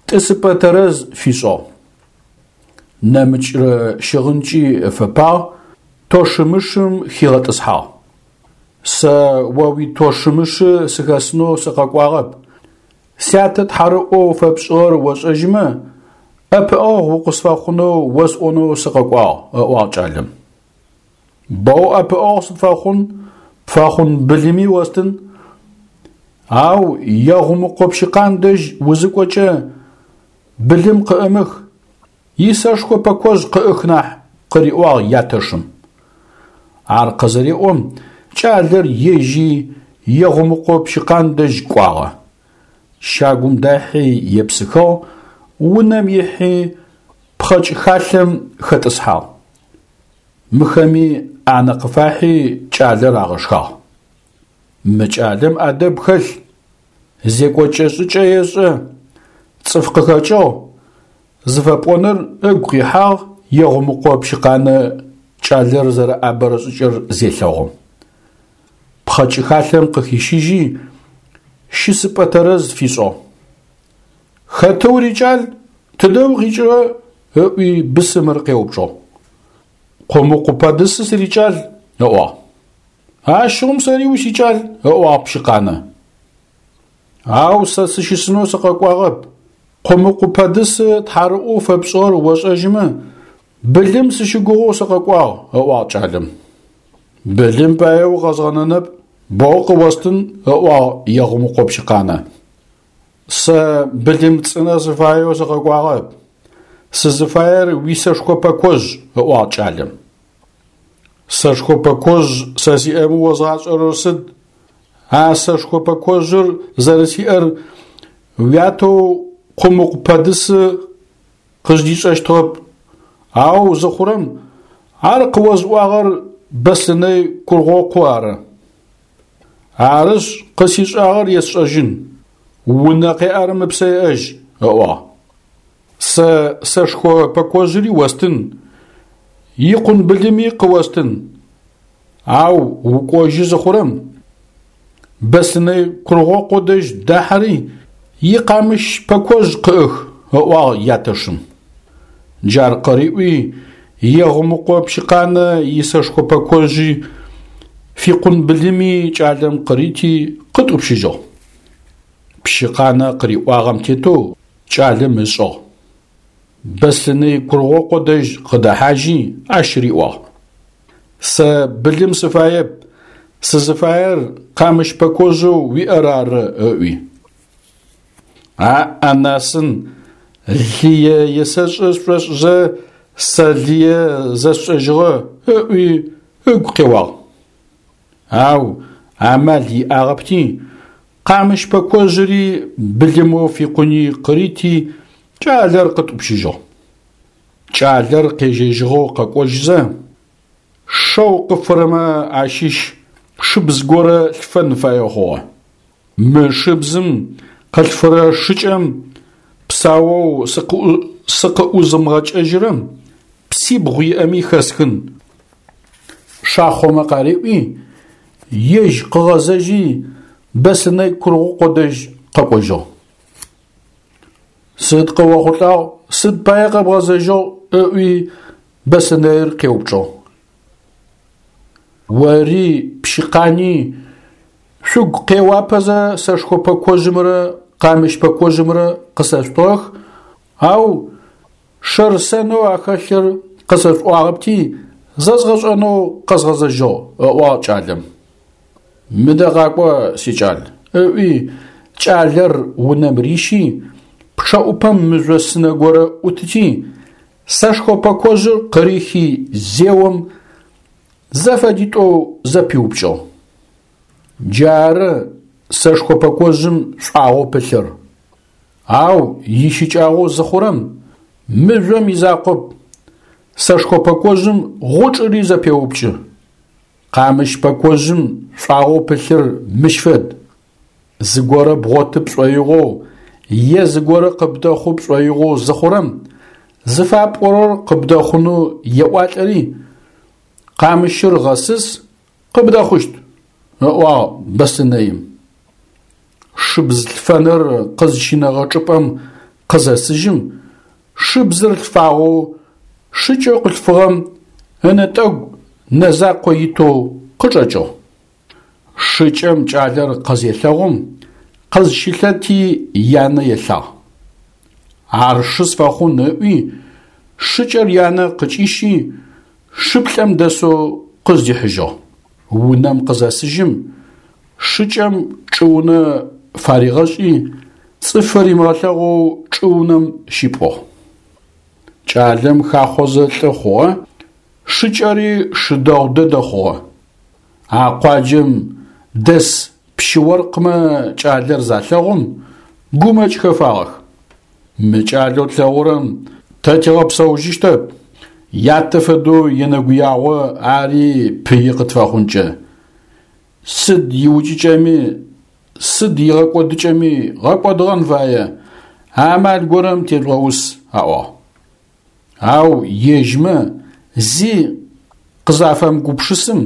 A: тӏысыпӏэ тэрэз фишӏыгъ. Нэмыкӏрэ щыгъынкӏи ыфэпагъ, тощымышым хигъэтӏысхьагъ. Сэ о уитощымышы сыхэсынэу сыкъэкӏуагъэп. Сятэ тхьарыӏоу фэпшӏыгъэр ошӏэжьымэ, ӏэпыӏэгъу укъысфэхъунэу осӏонэу сыкъэкӏуагъ, ыӏуагъ кӏалэм. Боу ӏэпыӏэгъу сыпфэхъун, пфэхъун былыми остын. Ау Егъумыкъо Пщыкъан дэжь узыкӏокӏэ былым къыӏымых, исэшхо пэкожъ къыӏых нахь, къыриӏуагъ ятэшым. Ар къызыреӏом, кӏалэр ежьи Егъумыкъо Пщыкъан дэжь кӏуагъэ. Щагум дахьи епсыхыгъ, унэм ихьи пхъэкӏ халъэм хэтӏысхьагъ. Мыхэми ӏанэ къыфахьи кӏалэр агъэшхагъ. Мы кӏалэм ӏэдэб хэлъ, зекӏокӏэ-шӏыкӏэ ешӏэ, цӏыф къыхэкӏыгъ зыфэпӏоныр ыгу къихьагъ Егъумыкъо Пщыкъанэ кӏалэр зэрэӏэбэрэ шӏыкӏэр зелъэгъум. Пхъэкӏыхалъэм къыхищыжьи, щысыпӏэ тэрэз фишӏыгъ. Хэты урикӏал, тыдэ укъикӏырэ? Ыӏуи бысымыр къеупчӏыгъ. Къумыкъу Пэдысы сырикӏал, ыӏуагъ. Ащыгъум сэри усикӏал, ыӏуагъ Пщыкъанэ. Ау сэ сыщысынэу сыкъэкӏуагъэп. Къумыкъу Пэдысы тхьарыӏоу фэпшӏыгъэр ошӏэжьымэ, былым сыщыгугъэу сыкъэкӏуагъ, ыӏуагъ кӏалэм. Былым пае укъэзгъэнэнэп, боу къыостын, ыӏуагъ Егъумыкъо Пщыкъанэ. Сэ былым цӏынэ сыфаеу сыкъэкӏуагъэп. Сызыфаер уисэшхо пэкожъ, ыӏуагъ кӏалэм. Сэшхо пэкожъ сэ сиӏэмэ озгъашӏэрэр сыд? А сэшхо пэкожъыр зэрэсиӏэр уятэу Къумыкъу Пэдысы къыздишӏэщтыгъэп. Ау зыхъурэм ар къыозыӏуагъэр Бэслъынэй Кургъокъу ары. Арышъ, къысишӏагъэр есшӏэжьын. Унэ къеӏэрэм ыпсэ еӏэжь, ыӏуагъ. Сэ сэшхо пэкожъыри остын, икъун былыми къыостын. Ау укӏожьы зыхъурэм Бэслъынэй Кургъокъо дэжь дахьэри икъамыщ пэкожъ къыӏых, ыӏуагъ ятэшым. Джар къыриӏуи, Егъумыкъо Пщыкъанэ исэшхо пэкожъи фикъун былыми кӏалэм къырити къытӏупщыжьыгъ. Пщыкъанэ къыриӏуагъэм тетэу кӏалэм ышӏыгъ. Бэслъынэй Кургъокъо дэжь къыдэхьажьи ащ риӏуагъ. Сэ былым сыфаеп, сызыфаер къамыщ пэкожъэу уиӏэр ары, ыӏуи. А-анасын, лые есэшӏэ сшӏошӏызэ сэ лые зэсшӏэжьыгъэ, ыӏуи ыгу къеуагъ. Ау амал иӏагъэпти, къамыщ пэкожъыри былымэу фикъуни къырити, кӏалэр къытӏупщыжьыгъ. Кӏалэр къежьэжьыгъэу къэкӏожьызэ, шэу къыфырэмэ ащыщ шыбз горэ лъфэн фае хъугъэ. Мы шыбзым къылъфырэ шыкӏэм псаоу сыкъыӏузымыгъэкӏэжьырэм псибгъу иӏэми хэсхын. Шахъомэ къариӏуи, ежь къыгъэзэжьи Бэслъынэй Кургъокъо дэжь къэкӏожьыгъ. Сыд къыохъулӏагъ, сыд пае къэбгъэзэжьыгъ, ыӏуи Бэслъынэир къеупчӏыгъ. Ори Пщыкъани шъугу къеуапэзэ сэшхо пэкожъымрэ къамыщ пэкожъымрэ къысэшъутыгъэх, ау шэр-сэнэу ахэлъыр къысэшъуӏуагъэпти, зэзгъэшӏэнэу къэзгъэзэжьыгъ, ыӏуагъ кӏалэм. Мыдэ къакӏо, сикӏал, ыӏуи кӏалэр унэм рищи, пчъэӏупэм мыжъо сынэ горэ ӏутыти, сэшхо пэкожъыр къырихи зеом зэфэдитӏоу зэпиупкӏыгъ. Джары сэшхо пэкожъым шӏуагъэу пылъыр. Ау ищыкӏагъэу зыхъурэм мыжъом изакъоп, сэшхо пэкожъым гъучӏыри зэпеупкӏы. Къамыщ пэкожъым шӏуагъэу пылъыр мыщ фэд. Зыгорэ бгъоты пшӏоигъоу е зыгорэ къыбдэхъу пшӏоигъоу зыхъурэм зыфапӏорэр къыбдэхъунэу еӏуалӏэри, къамыщыр гъэсыс, къыбдэхъущт, ыӏуагъ Бэслъынэим. Шыбз лъфэныр къызщинэгъэ чӏыпӏэм къызэсыжьым, шыбзыр лъфагъэу шыкӏэу къылъфыгъэм ынэтӏэгу нэ закъо итэу къычӏэкӏыгъ. Шыкӏэм кӏалэр къызелъэгъум, къызщылъэти янэ елъагъ. Ар шы сфэхъун ыӏуи, шыкӏэр янэ къыкӏищи, шыплӏэм дэсэу къыздихьыжьыгъ. Унэм къызэсыжьым, шыкӏэм чӏыунэ фаригъэшӏи, цӏыф римыгъэлъэгъоу чӏыунэм щипӏугъ. Кӏалэм хахъозэ лӏы хъугъэ, шыкӏэри шы дэгъу дэдэ хъугъэ. А къуаджэм дэс пщы-оркъмэ кӏалэр залъэгъум гумэкӏ хэфагъэх. Мы кӏалэу тлъэгъурэм Тэ тигъэпсэужьыщтэп, ятэ фэдэу енэгуягъо ари пыи къытфэхъункӏэ. Сыд иукӏыкӏэми, сыд игъэкӏодыкӏэми гъэкӏодыгъэн фае, амал горэм тежъугъэус, аӏуагъ. Ау ежьмэ зи къызафэмыгупшысым,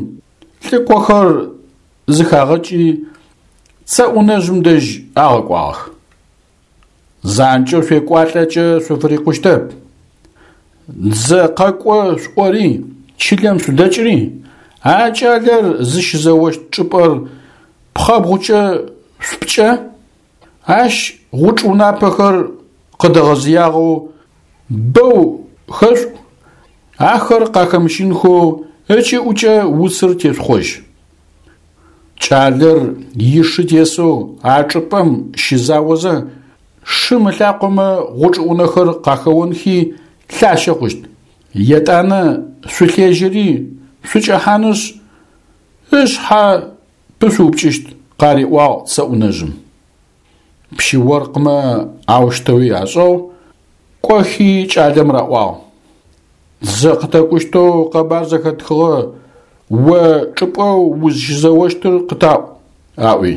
A: лӏыкӏохэр зыхагъэкӏи Цэӏунэжъым дэжь агъэкӏуагъэх. Занкӏэу шъуекӏуалӏэкӏэ шъуфырикъущтэп. Дзэ къэкӏо шъуӏори, чылэм шъудэкӏри, а кӏалэр зыщызэощт чӏыпӏэр пхъэбгъукӏэ шъупкӏэ, ащ гъучӏ унапэхэр къыдэгъэзыягъэу бэу хэшъуӏу, ахэр къахэмыщынхэу ыкӏыӏукӏэ уцыр тешъухъожь. Кӏалэр ишы тесэу а чӏыпӏэм щызаозэ, шым ылъакъомэ гъучӏыӏунэхэр къахэонхи лъащэ хъущт. Етӏанэ шъулъежьэри шъукӏэхьанышъ, ышъхьэ пышъуупкӏыщт, къариӏуагъ Цэӏунэжъым. Пщы-оркъмэ аущтэуи ашӏыгъ, кӏохи кӏалэм раӏуагъ: Дзэ къытэкӏущтэу къэбар зэхэтхыгъэ, о чӏыпӏэу узщызэощтыр къытаӏу, аӏуи.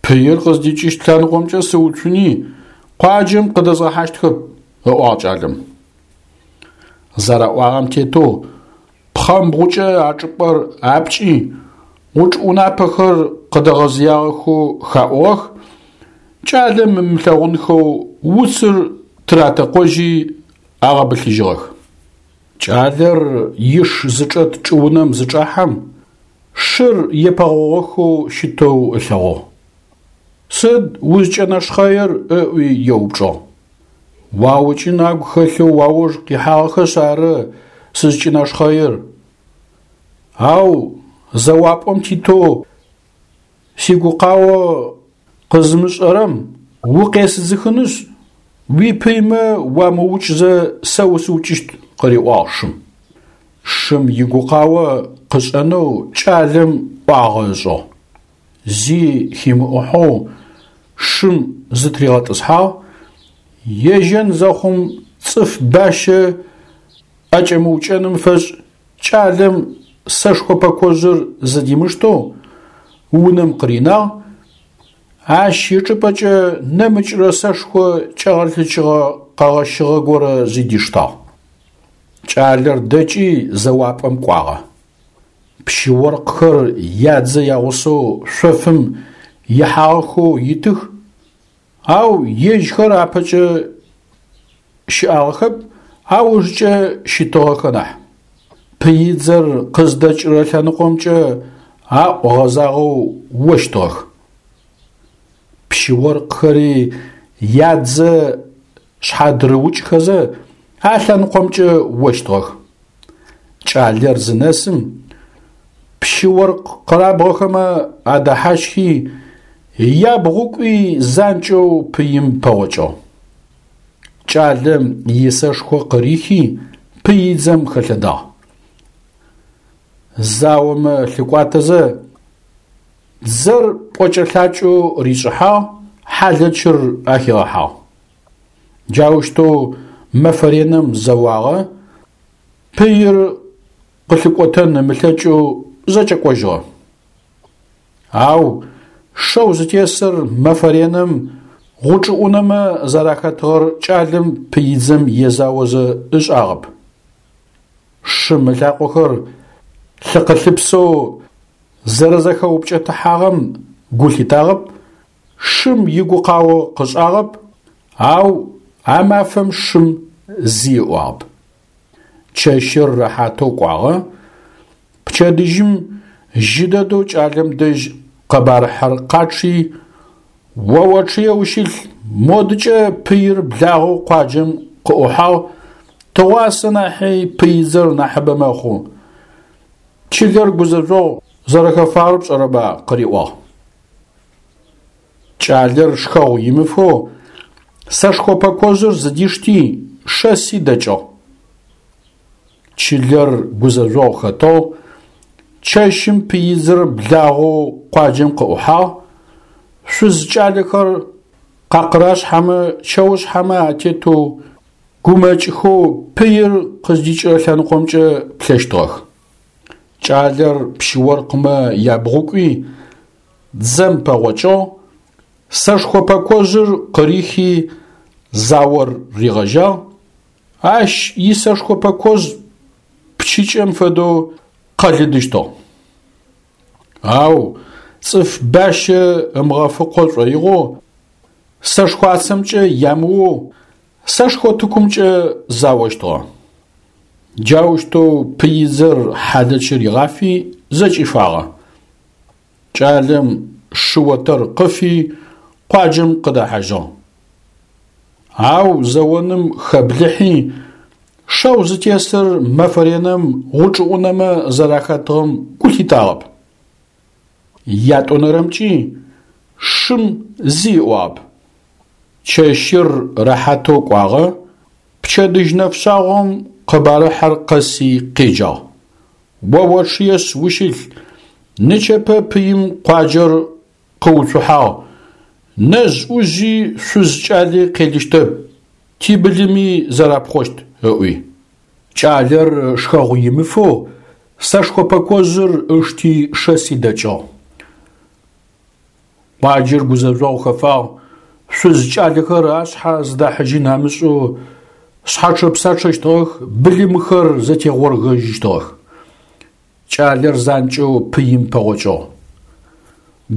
A: Пыир къыздикӏыщт лъэныкъомкӏэ сыуцуни, къуаджэм къыдэзгъэхьащтхэп, ыӏуагъ кӏалэм. Зэраӏуагъэм тетэу пхъэмбгъукӏэ а чӏыпӏэр апкӏи, гъучӏ унапэхэр къыдэгъэзыягъэхэу хаӏугъэх, кӏалэм ымылъэгъунхэу уцыр тыратэкъожьи агъэбылъыжьыгъэх. Кӏалэр иш зычӏэт чӏыунэм зычӏахьэм, шыр епэгъогъохэу щытэу ылъэгъугъ. Сыд узкӏэнэшхъэир ыӏуи еупчӏыгъ. Уаукӏын агу хэлъэу уауж къихьагъэхэшъ ары сызкӏэнэшхъэир. Ау зэуапӏэм титэу сигукъао къызымышӏэрэм укъесыдзыхынышъ, уипыймэ уамыукӏзэ сэ усыукӏыщт, къыриӏуагъ шым. Шым игукъао къышӏэнэу кӏалэм ӏуагъэ ышӏыгъ. Зи химыӏухьэу шым зытыригъэтӏысхьагъ, ежьэн зэхъум цӏыф бащэ ӏэкӏэмыукӏэным фэшӏ кӏалэм сэшхо пэкожъыр зыдимыштэу унэм къыринагъ, ащ ычӏыпӏэкӏэ нэмыкӏрэ сэшхо кӏэгъэлъыкӏыгъэ къэгъэщыгъэ горэ зыдиштагъ. Кӏалэр дэкӏи зэуапӏэм кӏуагъэ. Пщы-оркъхэр ядзэ ягъусэу шъофым ихьагъэхэу итых, ау ежьхэр апэкӏэ щыӏагъэхэп, аужкӏэ щытыгъэхэ нахь. Пыидзэр къыздэкӏырэ лъэныкъомкӏэ аӏу гъэзагъэу ощтыгъэх. Пщы-оркъхэри ядзэ шъхьадырыукӏхэзэ а лъэныкъомкӏэ ощтыгъэх. Кӏалэр зынэсым, пщы-оркъ къэрабгъэхэмэ адэхьащхи, ябгъукӏуи занкӏэу пыим пэгъокӏыгъ. Кӏалэм исэшхо къырихи пыидзэм хэлъэдагъ. Заомэ лъыкӏуатэзэ, дзэр пӏокӏэ-лъакӏэу ришӏыхьагъ, хьалэчыр ахигъэхьагъ. Джаущтэу мэфэ реным зэуагъэ, пыир къылъыкӏотэн ымылъэкӏэу зэкӏэкӏожьыгъэ. Ау шэу зытесыр мэфэ реным гъучӏыӏунэмэ зэрахэтыгъэр кӏалэм пыидзэм езаозэ ышӏагъэп. Шым ылъакъохэр лъыкъылъыпсэу зэрэзэхэупкӏэтыхьагъэм гу лъитагъэп, шым игукъао къышӏагъэп, ау а мафэм шым зи ыӏуагъэп. Чэщыр рэхьатэу кӏуагъэ, пчэдыжьым жьы дэдэу кӏалэм дэжь къэбарыхьэр къачъи, о очъые ущылъ, модыкӏэ пыир благъэу къуаджэм къыӏухьагъ, тыгъуасэ нахьи пыидзэр нахьыбэ мэхъу. Чылэр гузэжъогъу зэрэхэфагъэр пшӏэрэба къыриӏуагъ. Кӏалэр шхэгъу имыфэу сэшхо пэкожъыр зыдишти, шэси дэкӏыгъ. Чылэр гузэжъогъу хэтыгъ, чэщым пыидзэр благъэу къуаджэм къыӏухьагъ, шъуз кӏалэхэр къакъырашъхьэмэ чэушъхьэмэ атетэу Гумэкӏхэу пыир къыздикӏырэ лъэныкъомкӏэ плъэщтыгъэх. Кӏалэр пщы-оркъмэ ябгъукӏуи, дзэм пэгъокӏыгъ, сэшхо пэкожъыр къырихи заор ригъэжьагъ, ащ исэшхо пэкожъ пчыкӏэм фэдэу къэлыдыщтыгъ. Ау цӏыф бащэ ымыгъэфыкъо шӏоигъоу сэшхуацэмкӏэ ямыоу сэшхо тыкумкӏэ заощтыгъэ. Джаущтэу пыидзэр хьалэч ригъафи зэкӏифагъэ. Кӏалэм шы отэр къыфи къуаджэм къыдэхьажьыгъ. Ау зэоным хэблыхьи, шэу зытесыр мэфэ реным гъучӏыӏунэмэ зэрахэтыгъэм гу лъитагъэп. Ятӏонэрэмкӏи шым зи ыӏуагъэп. Чэщыр рэхьатэу кӏуагъэ, пчэдыжь нэфшъагъом къэбарыхьэр къэси къеджагъ. О очъыешъ ущылъ, нычэпэ пыим къуаджэр къыуцухьагъ, нэжъ-ӏужъи шъуз-кӏали къелыщтэп, тибылыми зэрапхъощт, ыӏуи. Кӏалэр шхэгъу имыфэу сэшхо пэкожъыр ышти шэси дэкӏыгъ. Къуаджэр гузэжъогъу хэфагъ, шъуз-кӏалэхэр ашъхьэ зыдахьыжьын амышӏэу шъхьэчъэ-псачъэщтыгъэх, былымхэр зэтегъоргэжьыщтыгъэх. Кӏалэр занкӏэу пыим пэгъокӏыгъ.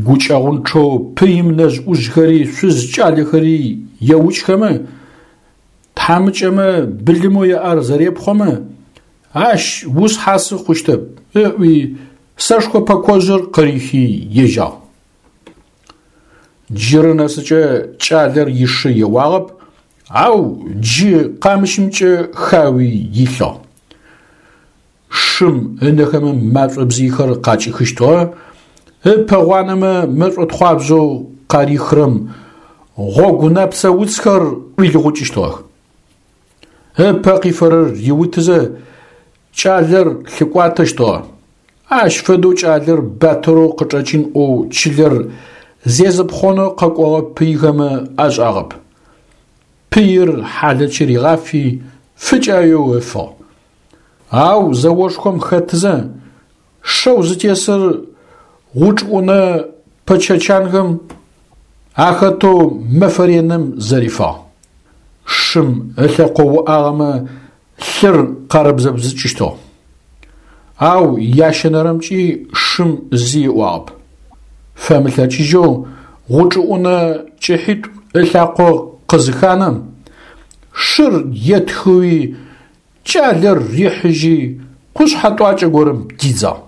A: Гукӏэгъунчъэу пыим нэжъ-ӏужъхэри шъуз-кӏалэхэри еукӏхэмэ, тхьамыкӏэмэ былымэу яӏэр зэрепхъомэ, ащ ушъхьасы хъущтэп, ыӏуи сэшхо пэкожъыр къырихи ежьагъ. Джырэ нэсыкӏэ кӏалэр ишы еуагъэп, ау джы къамыщымкӏэ хауи илъыгъ. Шым ынэхэмэ машӏо бзыйхэр къакӏихыщтыгъэ, ыпэ гъуанэмэ мэшӏотхъуабжъэу къарихрэм гъогу нэпцэ уцхэр ӏуилыгъукӏыщтыгъэх. Ыпэ къифэрэр риутызэ кӏалэр лъыкӏуатэщтыгъэ. Ащ фэдэу кӏалэр батырэу къычӏэкӏын ӏоу чылэр зезыпхъонэу къэкӏогъэ пыйхэмэ ашӏагъэп. Пыир хьалэч ригъафи фыкӏаеу ыфыгъ. Ау зэошхом хэтызэ шэу зытесыр гъучӏыӏунэ пэчэчанхэм ахэтэу мэфэ реным зэрифагъ. Шым ылъэкъо уӏагъэмэ лъыр къарыбзэбзыкӏыщтыгъ. Ау ящэнэрэмкӏи шым зи ыӏуагъэп. Фэмылъэкӏыжьэу гъучӏыӏунэ кӏыхьитӏу ылъакъо къызыханэм, шыр етхыуи кӏалэр рихьыжьи къушъхьэ тӏуакӏэ горэм дидзагъ.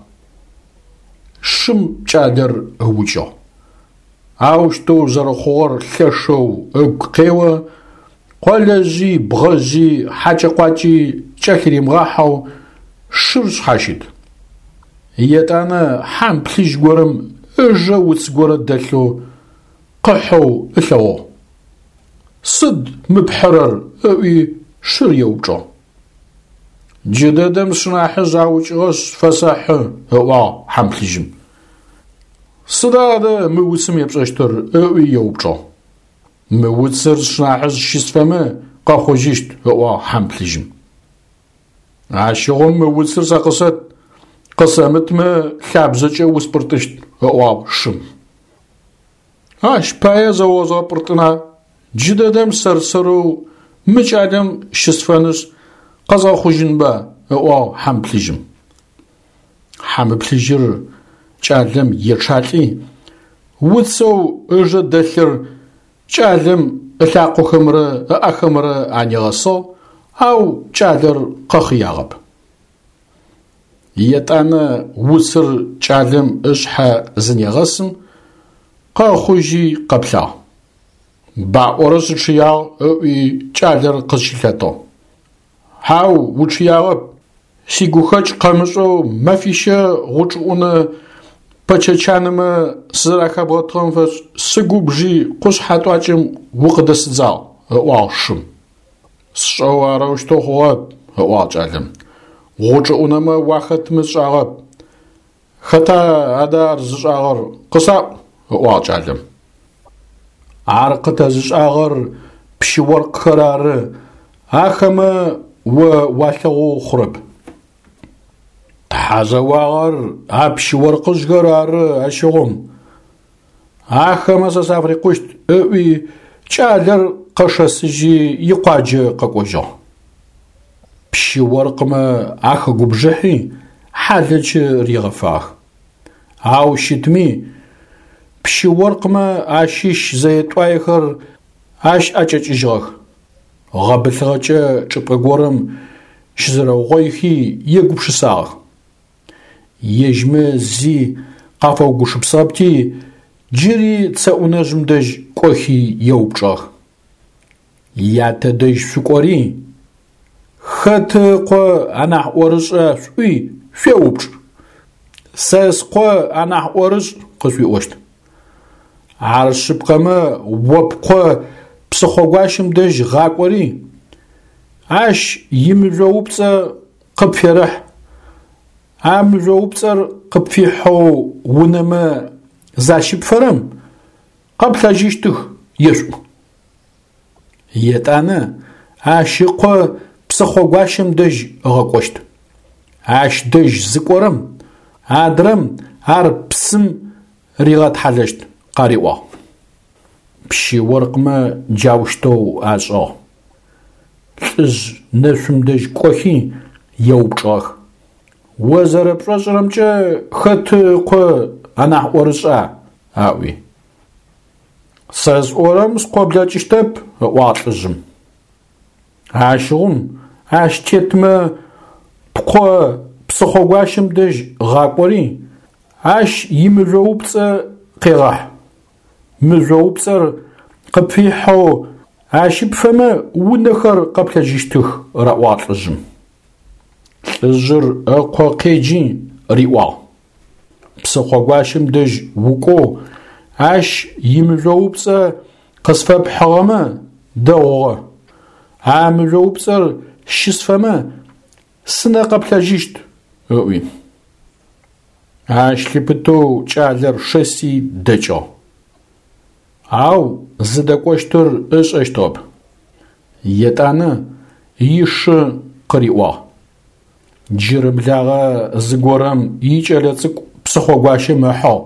A: Шым кӏалэр ыукӏыгъ. Аущтэу зэрэхъугъэр лъэшэу ыгу къео, къолэжъи, бгъэжъи, хьакӏэ-къуакӏи кӏэлъыримыгъахьэу шыр шъхьащыт. Етӏанэ хьам плъыжь горэм ыжэ уц горэ дэлъэу къыхьэу ылъэгъугъ. Сыд мы пхьырэр? ыӏуи шыр еупчӏыгъ. Джыдэдэм сшынахьыжъ аукӏыгъэшъ фэсэхьы, ыӏуагъ хьам плъыжьым. Сыда адэ мы уцым епшӏэщтыр? ыӏуи еупчӏыгъ. Мы уцыр сшынахьыжъ щысфэмэ къэхъужьыщт, ыӏуагъ хьам плъыжьым. Ащыгъум мы уцыр сэ къысэт, къысэмытмэ лъабжъэкӏэ успӏыртӏыщт, ыӏуагъ шым. Ащ пае зэозгъэпӏыртӏына, джыдэдэм сэр-сэрэу мы кӏалэм щысфэнышъ къэзгъэхъужьынба, ыӏуагъ хьам плъыжьым. Хьам плъыжьыр кӏалэм ечъалӏи, уцэу ыжэ дэлъыр кӏалэм ылъакъохэмрэ ыӏэхэмрэ анигъэсыгъ, ау кӏалэр къэхъыягъэп. Етӏанэ уцыр кӏалэм ышъхьэ зынегъэсым, къэхъужьи къэплъагъ. Баӏорэ сычъыягъ ыӏуи кӏалэр къызщылъэтыгъ. Хьау, учъыягъэп, сигухэкӏ къэмышӏэу мэфищэ гъучӏыӏунэ пэчэчанэмэ сызэрахэбгъэтыгъэм фэшӏ сыгубжи къушъхьэ тӏуакӏэм укъыдэсыдзагъ, ыӏуагъ шым. Сшӏэу арэущтэу хъугъэп, ыӏуагъ кӏалэм. Гъучӏыӏунэмэ уахэтмэ сшӏагъэп. Хэта адэ ар зышӏагъэр къысаӏу, ыӏуагъ кӏалэм. Ар къытэзышӏагъэр пщы-оркъхэр ары, Ахэмэ о уалъэгъоу хъурэп. Тхьэ зэуагъэр а пщы-оркъыжъхэр ары ащыгъум. Ахэмэ сэ сафырикъущт, ыӏуи кӏалэр къэшэсыжьи икъуаджэ къэкӏожьыгъ. Пщы-оркъымэ ахэгубжыхьи хьалэчы ригъэфагъэх. Ау щытми пщы-оркъымэ ащыщ зэе-тӏуаехэр ащ ӏэкӏэкӏыжьыгъэх. Гъэбылъыгъэкӏэ чӏыпӏэ горэм щызэрэугъоихи егупшысагъэх. Ежьмэ зи къафэугупшысыгъэпти, джыри цэӏунэжъым дэжь кӏохи еупчӏыгъэх. Ятэ дэжь шъукӏори, хэт ыкъо анахь ӏорышӏа шъуӏуи шъуеупчӏ. Сэ скъо анахь ӏорышӏ къышъуиӏощт. Ар шъыпкъэмэ, о пкъо псыхъогуащэм дэжь гъакӏори, ащ имыжъоупцӏэ къыпферэхь. А мыжъоупцӏэр къыпфихьэу унэмэ защыпфэрэм къэплъэжьыщтых ешъуӏу. Етӏанэ ащ ыкъо псыхъогуащэм дэжь ыгъэкӏощт. Ащ дэжь зыкӏорэм, адрэм ар псым ригъэтхьалэщт, къариӏуагъ. Пщы-оркъымэ джаущтэу ашӏыгъ. Лӏыжъ нэшъум дэжь кӏохи еупчӏыгъэх. О зэрэпшӏошӏырэмкӏэ хэт ыкъо анахь ӏорышӏа? Аӏуи. Сэ сӏорэм скъо блэкӏыщтэп, ыӏуагъ лӏыжъым. Ащыгъум ащ тетмэ пкъо псыхъогуащэм дэжь гъакӏори, ащ имыжъоупцӏэ къегъэхь. Мыжъоупцӏэр къыпфихьэу ащыпфэмэ унэхэр къэплъэжьыщтых, раӏуагъ лӏыжъым. Лӏыжъыр ыкъо къеджи риӏуагъ. Псыхъогуащэм дэжь укӏоу ащ имыжъоупцӏэ къысфэпхьыгъэмэ дэгъугъэ. А мыжъоупцӏэр щысфэмэ сынэ къэплъэжьыщт, ыӏуи. Ащ лъыпытэу кӏалэр шэси дэкӏыгъ. Ау зыдэкӏощтыр ышӏэщтыгъэп. Етӏанэ ишы къыриӏуагъ. Джырыблагъэ зыгорэм икӏэлэцӏыкӏу псыхъогуащэм ыхьыгъ.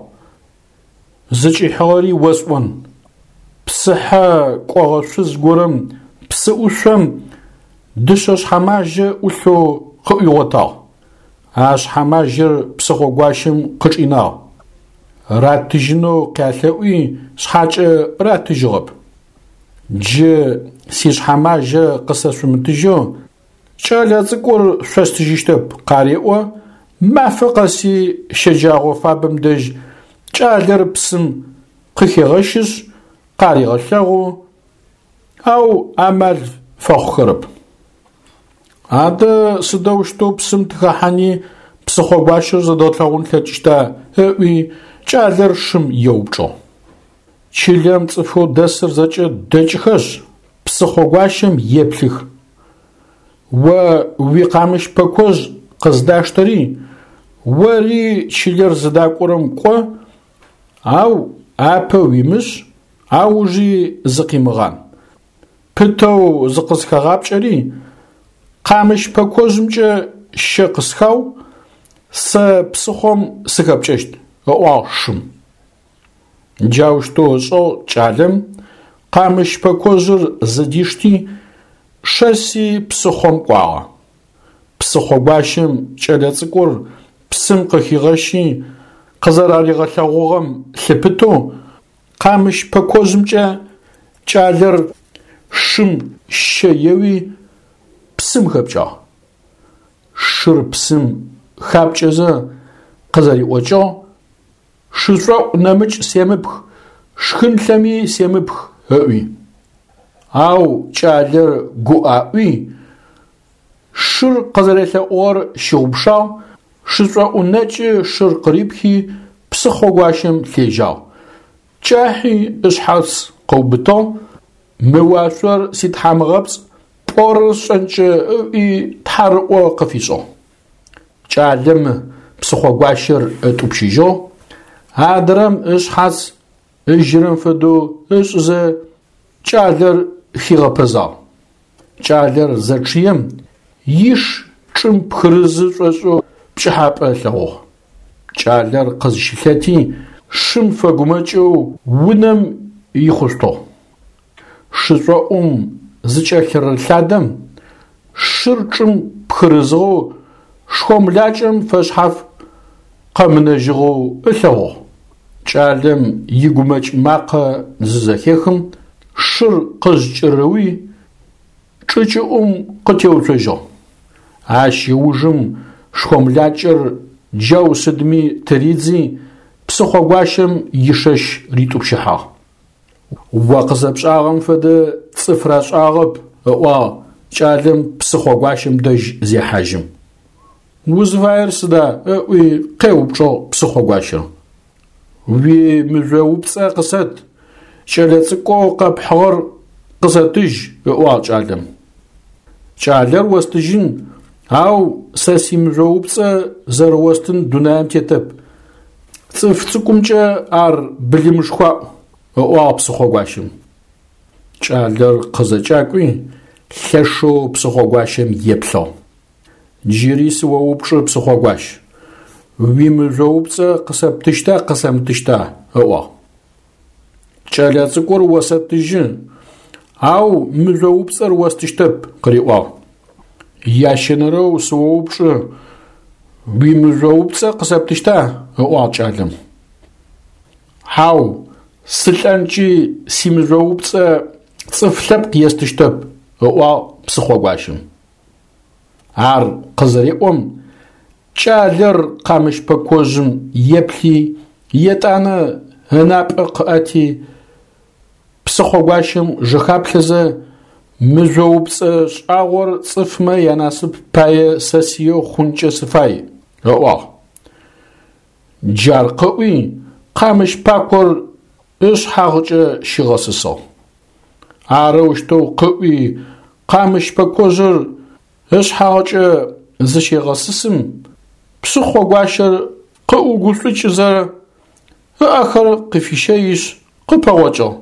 A: Зыкӏихьыгъэри осӏон. Псыхьэ кӏогъэ шъуз горэм псы ӏушъом дышъэ шъхьэмажьэ ӏулъэу къыӏуигъотагъ. А шъхьэмажьэр псыхъогуащэм къычӏинагъ. Ратыжьынэу къялъэӏуи шъхьакӏэ ратыжьыгъэп. Джы сишъхьэмажьэ къысэшъумытыжьэу кӏэлэцӏыкӏур шъостыжьыщтэп къареӏо, мафэ къэси щэджагъо фабэм дэжь кӏалэр псым къыхегъэщышъ къарегъэлъэгъу, ау амал фэхъухэрэп. Адэ сыдэущтэу псым тыхэхьани псыхъогуащэр зэдгъэлъэгъун тлъэкӏыщта? Ыӏуи кӏалэр шым еупчӏыгъ. Чылэм цӏыфэу дэсыр зэкӏэ дэкӏыхэшъ, псыхъогуащэм еплъых. О уикъамыщ пэкожъ къыздаштэри, ори чылэр зыдакӏорэм кӏо, ау апэ уимышъ, аужи зыкъимыгъан. Пытэу зыкъысхэгъапкӏэри, къамыщ пэкожъымкӏэ щэ къысхау, сэ псыхъом сыхэпкӏэщт, ыӏуагъ шым. Джаущтэу ышӏыгъ кӏалэм, къамыщ пэкожъыр зыдишти, шэси псыхъом кӏуагъэ. Псыхъогуащэм кӏэлэцӏыкӏур псым къыхигъэщи къызэраригъэлъэгъугъэм лъыпытэу къамыщ пэкожъымкӏэ кӏалэр шым щэ еуи псым хэпкӏагъ. Шыр псым хапкӏэзэ къызэриӏокӏыгъ: Шышӏоӏу нэмыкӏ семыпх, шхынлъэми семыпх, ыӏуи. Ау кӏалэр гуӏаӏуи, шыр къызэрелъэӏугъэр щыгъупшагъ, шышӏоӏу нэкӏы шыр къырипхи псыхъогуащэм лъежьагъ. Кӏахьи ышъхьац къыубытыгъ, мы уашъор ситхьамыгъэпцӏ, пӏорэр сшӏэнкӏэ ыӏуи тхьарыӏо къыфишӏыгъ. Кӏалэм псыхъогуащэр ытӏупщыжьыгъ, адрэм ышъхьац ыжьырэм фэдэу ышӏызэ кӏалэр хигъэпэзагъ. Кӏалэр зэчъыем иш чӏым пхырызы шӏошӏэу пкӏыхьапӏэ ылъэгъугъ. Кӏалэр къызщылъэти, шым фэгумэкӏэу унэм ихъушъутыгъ. Шышӏоӏум зыкӏэлъырылъадэм, шыр чӏым пхырызыгъэу шхомлакӏэм фэшъхьаф къэмынэжьыгъэу ылъэгъугъ. Кӏалэм игумэкӏ макъэ зызэхехым, шыр къызкӏырыуи, чӏы кӏыӏум къытеуцожьыгъ. Ащ ыужым шхомлакӏэр джау сыдми тыридзи, псыхъогуащэм ишэщ ритӏупщыхьагъ. О къызэпшӏагъэм фэдэ цӏыф рашӏагъэп, ыӏуагъ кӏалэм псыхъогуащэм дэжь зехьажьым. Узыфаер сыда? ыӏуи къеупчӏыгъ псыхъогуащэр. Уимыжъоупцӏэ къысэт, кӏэлэцӏыкӏоу къэпхьыгъэр къысэтыжь, ыӏуагъ кӏалэм. Кӏалэр остыжьын, ау сэ симыжъоупцӏэ зэрэостын дунаим тетэп. Цӏыф цӏыкӏумкӏэ ар былымышхуаӏу, ыӏуагъ псыхъогуащэм. Кӏалэр къызэкӏакӏуи, лъэшэу псыхъогуащэм еплъыгъ. Джыри сыоупчӏы, псыхъогуащ, уимыжъоупцӏэ къысэптыщта къысэмытыщта? ыӏуагъ. Кӏэлэцӏыкӏур осэтыжьы, ау мыжъоупцӏэр остыщтэп, къыриӏуагъ. Ящэнэрэу сыоупчӏы, уимыжъоупцӏэ къысэптыщта? ыӏуагъ кӏалэм. Хьау, сылӏэнкӏи симыжъоупцӏэ цӏыф лъэпкъ естыщтэп, ыӏуагъ псыхъогуащэм. Ар къызэреӏом, кӏалэр къамыщ пэкожъым еплъи, етӏанэ ынапӏэ къыӏэти, псыхъогуащэм жэхаплъэзэ, мыжъоупцӏэ шӏагъор цӏыфмэ янасып пае сэ сиеу хъункӏэ сыфай, ыӏуагъ. Джар къыӏуи, къамыщ пакор ышъхьагъкӏэ щигъэсысыгъ. Арэущтэу къыӏуи, къамыщ пэкожъыр ышъхьагъкӏэ зыщегъэсысым, псыхъогуащэр къыӏугушӏукӏызэ, ыӏэхэр къыфищэишъ, къыпэгъокӏыгъ.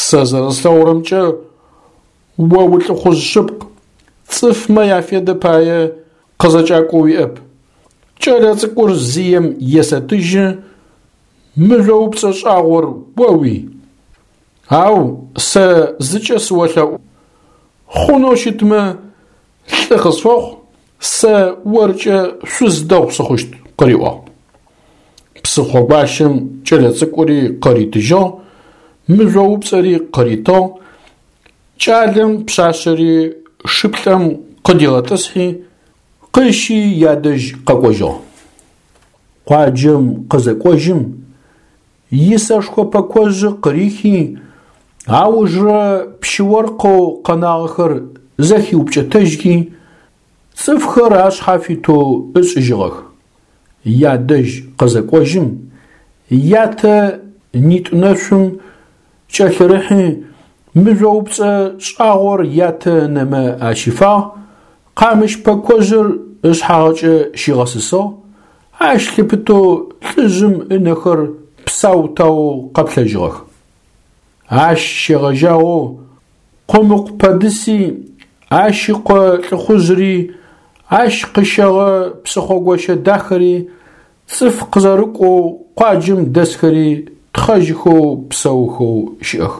A: Сэ зэрэслъэгъурэмкӏэ, о улӏыхъужъ шъыпкъ, цӏыфмэ яфедэ пае къызэкӏакӏо уиӏэп. Кӏэлэцӏыкӏур зием есэтыжьы, мыжъоупцӏэ шӏагъор оуий. Ау сэ зыкӏэ сыолъэӏу, хъунэу щытмэ, лӏы къысфэхъу, сэ оркӏэ шъуз дэгъу сыхъущт, къыриӏуагъ. Псыхъогуащэм кӏэлэцӏыкӏури къыритыжьыгъ, мыжъоупцӏэри къыритыгъ, кӏалэм пшъашъэри шыплӏэм къыдигъэтӏысхьи, къыщи ядэжь къэкӏожьыгъ. Къуаджэм къызэкӏожьым, исэшхо пэкожъы къырихи, аужрэ пщы-оркъэу къэнагъэхэр зэхиупкӏэтэжьхи, цӏыфхэр ашъхьэ фитэу ышӏыжьыгъэх. Ядэжь къызэкӏожьым, ятэ нитӏу-нэшъум кӏэлъырыхьи, мыжъоупцӏэ шӏагъор ятэ ынэмэ ащифагъ, къамыщ пэкожъыр ышъхьагъкӏэ щигъэсысыгъ, ащ лъыпытэу лӏыжъым ынэхэр псау-таоу къэплъэжьыгъэх. Ащ щегъэжьагъэу Къумыкъу Пэдыси, ащ ыкъо лӏыхъужъри, ащ къыщэгъэ псыхъогощэ дахэри, цӏыф къызэрыкӏоу къуаджэм дэсхэри тхъэжьыхэу псэухэу щыӏэх.